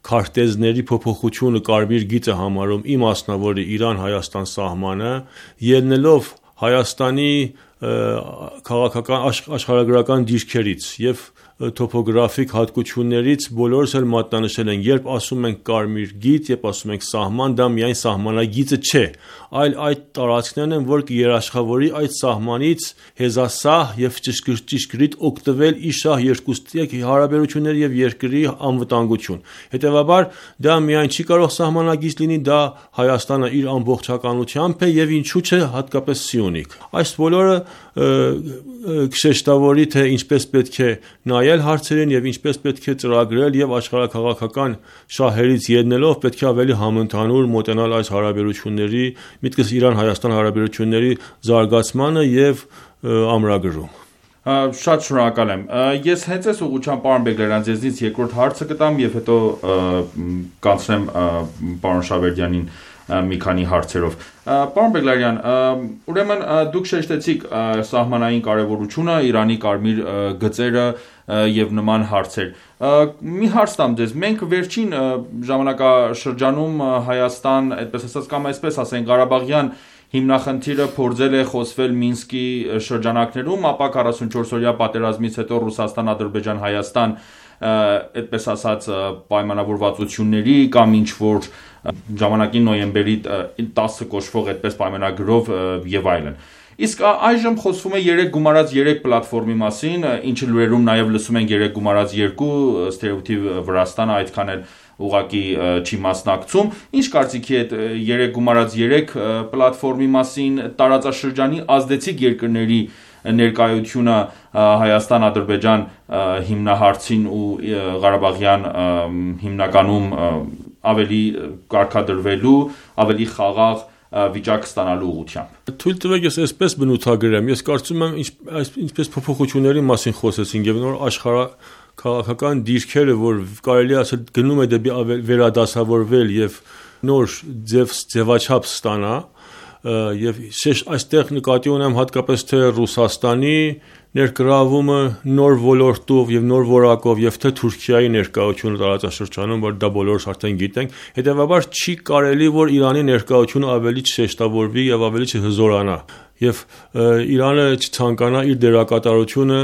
քարտեզների փոփոխությունը կարմիր գիծ է համարում իմաստնավորի Իրան-Հայաստան սահմանը, ելնելով Հայաստանի քաղաքական աշխարհագրական դիրքերից եւ տոպոգրաֆիկ հատկություններից բոլորս էլ մատնանշել են, երբ ասում ենք կարմիր գիծ, երբ ասում ենք սահման, դա միայն սահմանագիծը չէ, այլ այդ տարածքներն են, որ կերաշխավորի այդ սահմանից հեզասահ եւ ճշգրիտ օգտվել ի շահ երկուստի հարաբերությունների եւ երկրի անվտանգություն։ Հետեւաբար դա միայն չի կարող սահմանագիծ լինի, դա Հայաստանը իր ամբողջականությամբ է եւ ինչու՞ չէ հատկապես Սյունիք։ Այս բոլորը կշեշտավորի, թե ինչպես պետք է նայել հարցերին եւ ինչպես պետք է ծրագրել եւ աշխարհակաղակական շահերից ելնելով պետք է ավելի համընդհանուր մոտենալ այս հարաբերությունների, միտքս Իրան-Հայաստան հարաբերությունների զարգացմանը եւ ամրագրում։ Շատ շնորհակալ եմ։ Ես հենց այս ուղղությամբ պարոն Բեգլարյան ձեզնից երկրորդ հարցը կտամ եւ հետո կանցնեմ պարոն Շաբերդյանին մի քանի հարցերով։ Պարոն Բեգլարյան, ուրեմն դուք շեշտեցիք սահմանային կարևորությունը, Իրանի կարմիր գծերը եւ նման հարցեր։ Մի հարց տամ ձեզ, մենք վերջին ժամանակաշրջանում Հայաստան, այդպես ասած կամ այսպես ասենք Ղարաբաղյան հիմնախնդիրը փորձել է խոսվել Մինսկի շրջանակներում, ապա 44-օրյա պատերազմից հետո Ռուսաստան, Ադրբեջան, Հայաստան, այդպես ասած պայմանավորվածությունների կամ ինչ որ ժամանակին նոյեմբերի 10-ը կոչվող այդպես պայմանագրով եւ այլն։ Իսկ այժմ խոսվում է 3 գումարած 3 պլատֆորմի մասին, ինչը լուրերում նաև լսում ենք 3 գումարած 2, ստերեոտիպ Վրաստանը այդքան էլ ուղղակի չի մասնակցում։ Ինչ կարծիքի եք 3 գումարած 3 պլատֆորմի մասին, տարածաշրջանի ազդեցիկ երկրների ներկայությունը Հայաստան, Ադրբեջան հիմնահարցին ու Ղարաբաղյան հիմնականում ավելի կարգադրվելու, ավելի խաղաղ վիճակ ստանալու ուղղությամբ։ Թույլ տվեք ես այսպես բնութագրեմ, ես կարծում եմ ինչպես փոփոխությունների մասին խոսեցինք եւ նոր աշխարհակաղակական դիրքերը, որ կարելի ասել գնում է դեպի վերադասավորվել եւ նոր ձևաչափ ստանա, եւ այստեղ նկատի ունեմ հատկապես թե Ռուսաստանի ներգրավումը նոր ոլորտով եւ նոր որակով եւ թե Թուրքիայի ներկայությունը տարածաշրջանում, որ դա բոլորս արդեն գիտենք, հետեւաբար չի կարելի որ Իրանի ներկայությունը ավելի չշեշտավորվի եւ ավելի չհզորանա եւ Իրանը չցանկանա իր դերակատարությունը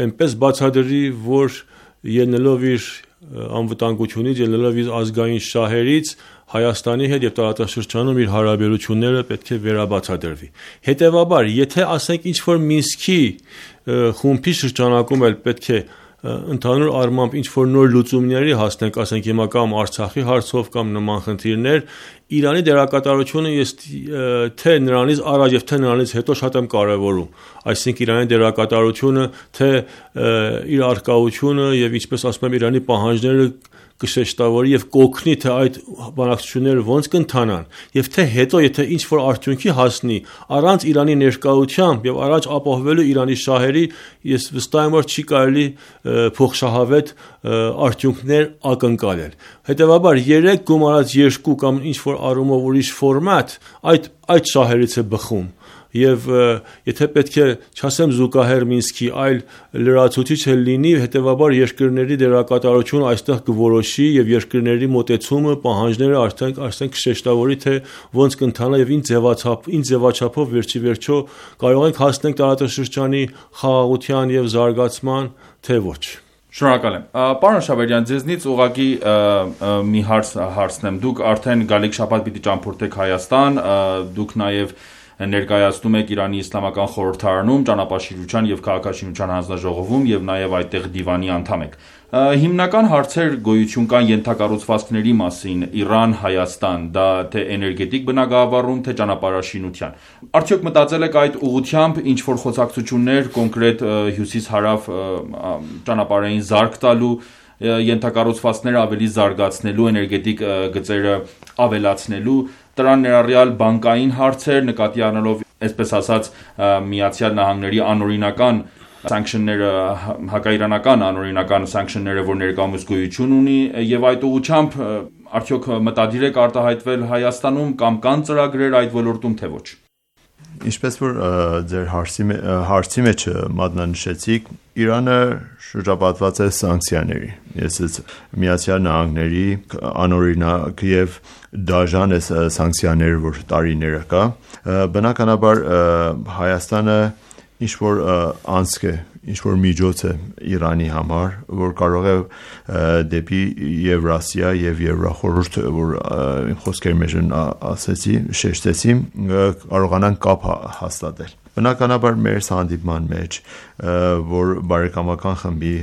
այնպես բացադրի, որ ելնելով իր անվտանգությունից, ելնելով իր ազգային շահերից Հայաստանի հետ եւ տարածաշրջանում իր հարաբերությունները պետք է վերաբացատրվի։ Հետևաբար, եթե ասենք ինչ որ Մինսկի խումբի շրջանակում էլ պետք է ընդհանուր առմամբ ինչ որ նոր լուծումների հասնենք, ասենք հիմա կամ Արցախի հարցով կամ նման խնդիրներ, Իրանի դերակատարությունը ես թե նրանից առաջ եւ թե նրանից հետո շատ եմ կարեւորում, այսինքն Իրանի դերակատարությունը, թե իր արկայությունը եւ ինչպես ասում եմ Իրանի պահանջները կշեշտավորի եւ կօգնի թե այդ բանակցությունները ոնց կընթանան եւ թե հետո եթե ինչ որ արդյունքի հասնի առանց Իրանի ներկայությամբ եւ առաջ ապահովելու Իրանի շահերի, ես վստահ եմ որ չի կարելի փոխշահավետ արդյունքներ ակնկալել։ Հետևաբար 3 գումարած 2 կամ ինչ որ առումով ուրիշ ֆորմատ այդ շահերից է բխում եւ եթե պետք է չասեմ զուգահեռ Մինսկի, այլ լրացուցիչ լինի, հետեւաբար երկրների դերակատարությունը այստեղ կորոշի եւ երկրների մոտեցումը, պահանջները արդեն կշեշտավորի թե ոնց կընթանա եւ ինչ ձևաչափով վերջիվերջո կարող ենք հասնենք տարածաշրջանի խաղաղության եւ զարգացման, թե ոչ։ Շնորհակալ եմ։ Պարոն Շավերյան, ձեզնից ուղղակի մի հարցնեմ։ Դուք արդեն գալիք շաբաթ պիտի ճամփորդեք Հայաստան, դուք նաեւ ներկայացնում եք Իրանի Իսլամական խորհրդարանում ճանապարհաշինության եւ քաղաքաշինության հանձնաժողովում եւ նաեւ այդտեղ դիվանի անդամ եք։ Հիմնական հարցեր գոյություն կան ենթակառուցվածքների մասին Իրան-Հայաստան, դա թե էներգետիկ բնագավառում, թե ճանապարհաշինության։ Արդյոք մտածել եք այդ ուղղությամբ ինչ որ խոսակցություններ կոնկրետ հյուսիս-հարավ ճանապարհային զարգ տալու, ենթակառուցվածքները ավելի զարգացնելու, էներգետիկ գծերը ավելացնելու, դրան ներառյալ բանկային հարցեր, նկատի առնելով, այսպես ասած, Միացյալ Նահանգների անօրինական սանկշնները, հակաիրանական անօրինական սանկշնները, որ ներկայումս գոյություն ունի, եւ այդ ուղղությամբ արդյոք մտադիր եք արտահայտվել Հայաստանում կամ կան ծրագրեր այդ ոլորտում, թե ոչ։ Ինչպես որ ձեր հարցի մեջ մատնանշեցիք, Իրանը շրջապատված է սանկցիաների։ Ես Միացյալ Նահանգների անօրինակ եւ դաժան է սանկցիաները, որ տարիները կա։ Բնականաբար Հայաստանը ինչ որ անցք է, ինչ որ միջոց է Իրանի համար, որ կարող է դեպի Եվրասիա եւ Եվրախորհուրդ, որ խոսքերի մեջ ասեցի, շեշտեցի, կարողանան կապ հաստատել։ Բնականաբար մեր հանդիպման մեջ, որ բարեկամական խմբի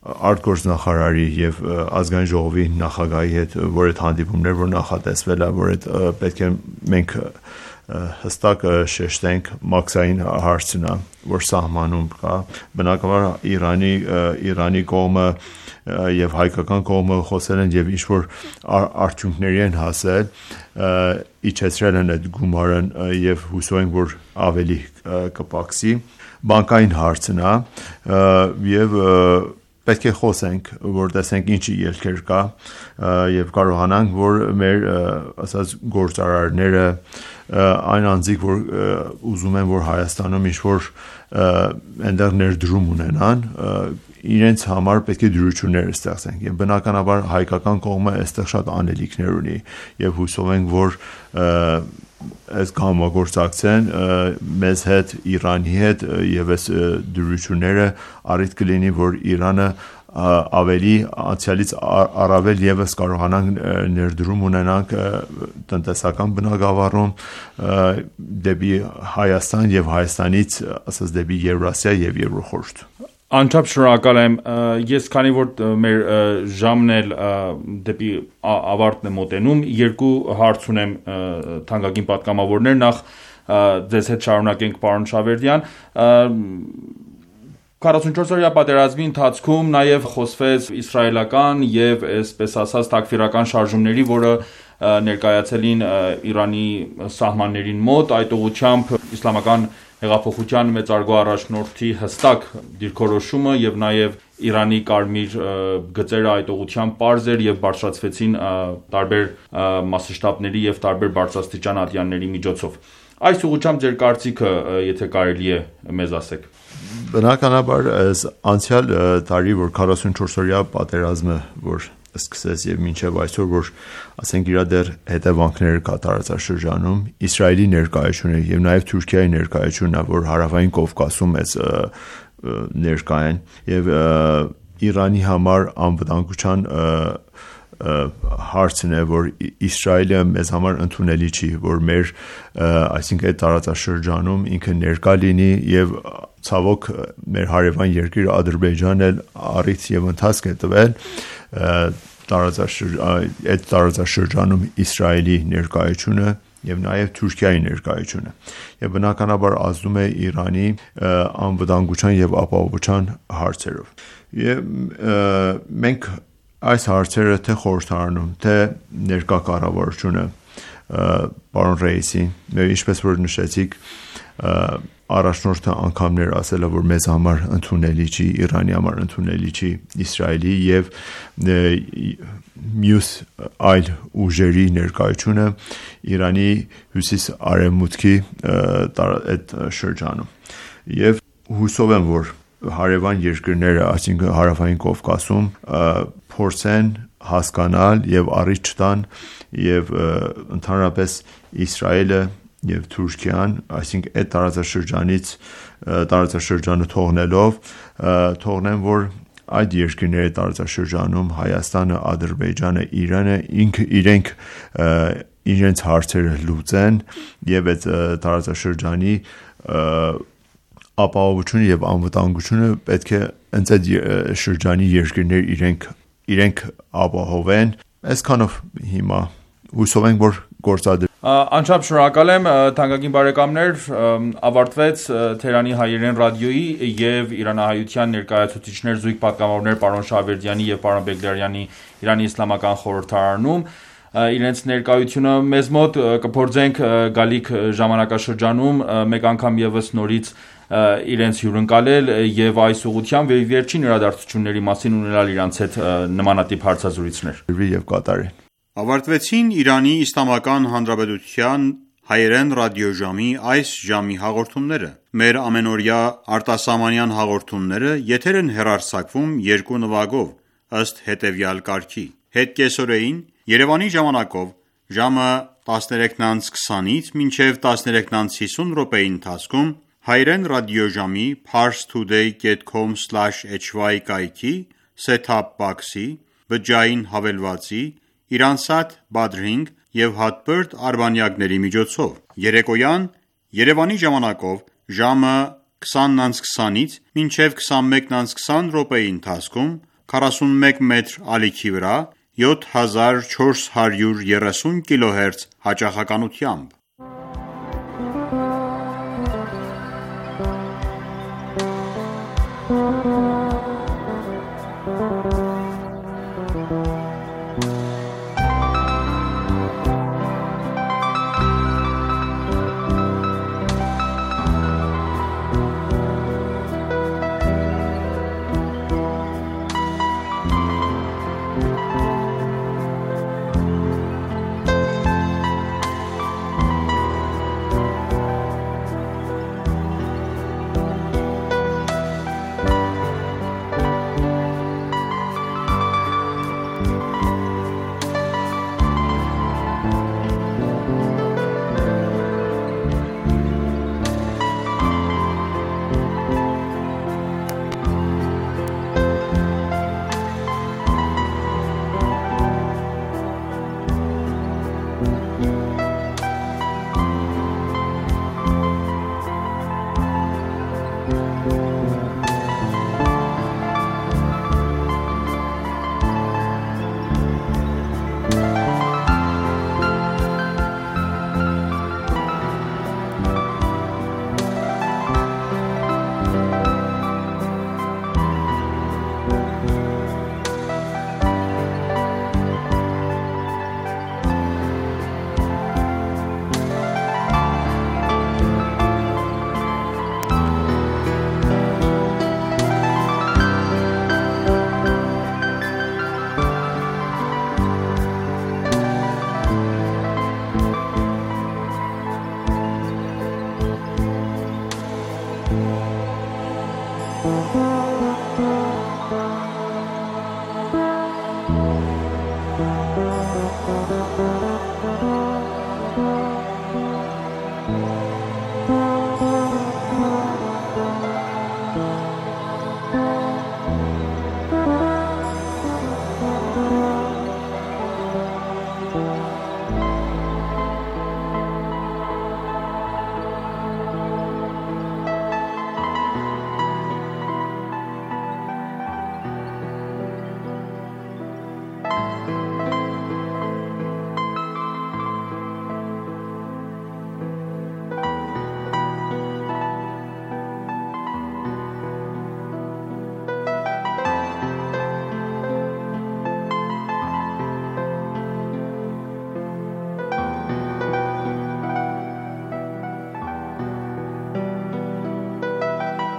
արտգործնախարարի եւ ազգային ժողովի նախագահի հետ, որ այդ հանդիպումներ որ նախատեսվել է, որ այդ պետք է մենք հստակ շեշտենք մաքսային հարցն է, որ սահմանում կա։ Բնականաբար Իրանի կողմը եւ հայկական կողմը խոսել են եւ ինչ որ արդյունքների են հասել, իջեցրել են այդ գումարը եւ հուսով ենք որ ավելի կպակսի։ Բանկային հարցն է եւ պետք է խոսենք, որ տեսենք ինչի ելքեր կա եւ կարողանանք որ մեր ասած գործարարները այն անձիկ որ ուզում են որ Հայաստանում ինչ որ այնտեղ ներդրում ունենան իրենց համար պետք է դյուրություններ ստեղծենք եւ բնականաբար հայկական կողմը այստեղ շատ անելիքներ ունի եւ հուսով ենք որ այս համագործակցեն մեզ հետ Իրանի հետ եւ այս դյուրությունները առիթ կլինի որ Իրանը ավելի անցյալից առավել եւս կարողանան ներդրում ունենանք տնտեսական բնագավառում դեպի Հայաստան եւ Հայաստանից ասած դեպի Եվրասիա եւ Եվրոխորհուրդ։ Անչափ շնորհակալ եմ, ես քանի որ մեր ժամն էլ դեպի ավարտն է մոտենում, 2 հարց ունեմ թանկագին պատգամավորներ, նախ ձեզ հետ շարունակենք պարոն Շավերդյան, 44-օրյա պատերազմի ընթացքում նաև խոսվեց իսրայելական եւ այսպես ասած տակֆիրական շարժումների, որը ներկայացել են Իրանի սահմաններին մոտ, այդ ուղղությամբ իսլամական հեղափոխության մեծարգո առաջնորդի հստակ դիրքորոշումը եւ նաեւ Իրանի կարմիր գծերը այդ ուղղությամբ པարզ էր եւ բարձրացվեցին տարբեր մասշտաբների եւ տարբեր բարձրաստիճան ատյանների միջոցով։ Այս ուղղությամբ ձեր կարծիքը, եթե կարելի է մեզ ասեք։ Բնականաբար անցյալ տարի որ 44-օրյա պատերազմը որ սկսեց եւ մինչեւ այսօր որ ասենք իրա դեռ հետևանքները կա տարածաշրջանում Իսրայելի ներկայությունը եւ նաեւ Թուրքիայի ներկայությունը որ հարավային Կովկասում է ներկայ են եւ Իրանի համար անվտանգության հարցն է, որ Իսրայելը մեզ համար ընդունելի չի, որ մեր այսինքն այդ տարածաշրջանում ինքը ներկա լինի եւ ցավոք մեր հարևան երկիր Ադրբեջանն էլ առիթ եւ ընթացք է տվել այդ տարածաշրջանում Իսրայելի ներկայությունը եւ նաեւ Թուրքիայի ներկայությունը եւ բնականաբար ազդում է Իրանի անվտանգության եւ ապահովության հարցերով եւ մենք այս հարցերը թե խորհրդարանում թե ներկա կառավարությունը պարոն Ռեյսին ինչպես որ նշեցիք առաջնորդը անգամներ ասել է որ մեզ համար ընդունելի չի Իրանի համար ընդունելի չի Իսրայելի եւ մյուս այլ ուժերի ներկայությունը Իրանի հյուսիս-արևմուտքի այդ շրջանում եւ հուսով եմ որ հարևան երկրները այսինքն հարավային Կովկասում փորձեն հասկանալ եւ առիթ չտան եւ ընդհանրապես Իսրայելը եւ Թուրքիան, այսինքն այդ տարածաշրջանը թողնեն, որ այդ երկրների տարածաշրջանում Հայաստանը, Ադրբեջանը, Իրանը իրենք իրենց հարցերը լուծեն եւ այդ տարածաշրջանի ապահովությունը եւ անվտանգությունը պետք է այդ շրջանի երկրներ իրենք ապահովեն։ Այսքանով հիմա հուսով ենք որ գործադրվի Անչափ շնորհակալ եմ թանկագին բարեկամներ ավարտվեց Թերանի հայերեն ռադիոյի եւ Իրանահայության ներկայացուցիչներ զույգ պատգամավորներ պարոն Շահվերդյանի եւ պարոն Բեգլարյանի Իրանի իսլամական խորհրդարանում իրենց ներկայությունը մեզ մոտ կփորձենք գալիք ժամանակաշրջանում մեկ անգամ եւս նորից իրենց հյուրընկալել եւ այս ուղղությամբ վերջին իրադարձությունների մասին ունենալ իրանց հետ նմանատիպ հարցազրույցներ եւ կատարեն Ավարտվեցին Իրանի Իսլամական Հանրապետության հայերեն ռադիոժամի այս ժամի հաղորդումները։ Մեր ամենօրյա արտասահմանյան հաղորդումները եթեր են հեռարձակվում երկու նվագով ըստ հետևյալ կարգի։ Հետ կեսօրեին Երևանի ժամանակով ժամը 13:20-ից մինչև 13:50 րոպեի ընթացքում հայերեն ռադիոժամի parstoday.com/hy կայքի set-top box-ի բջջային հավելվածի Իրանսատ Badring և հատբերդ արբանյակների միջոցով։ Երեկոյան Երևանի ժամանակով ժամը 20:20-ից մինչև 21:20 րոպեի ընթացքում 41 մետր ալիքի վրա 7430 կիլոհերց հաճախականությամբ։ Thank you.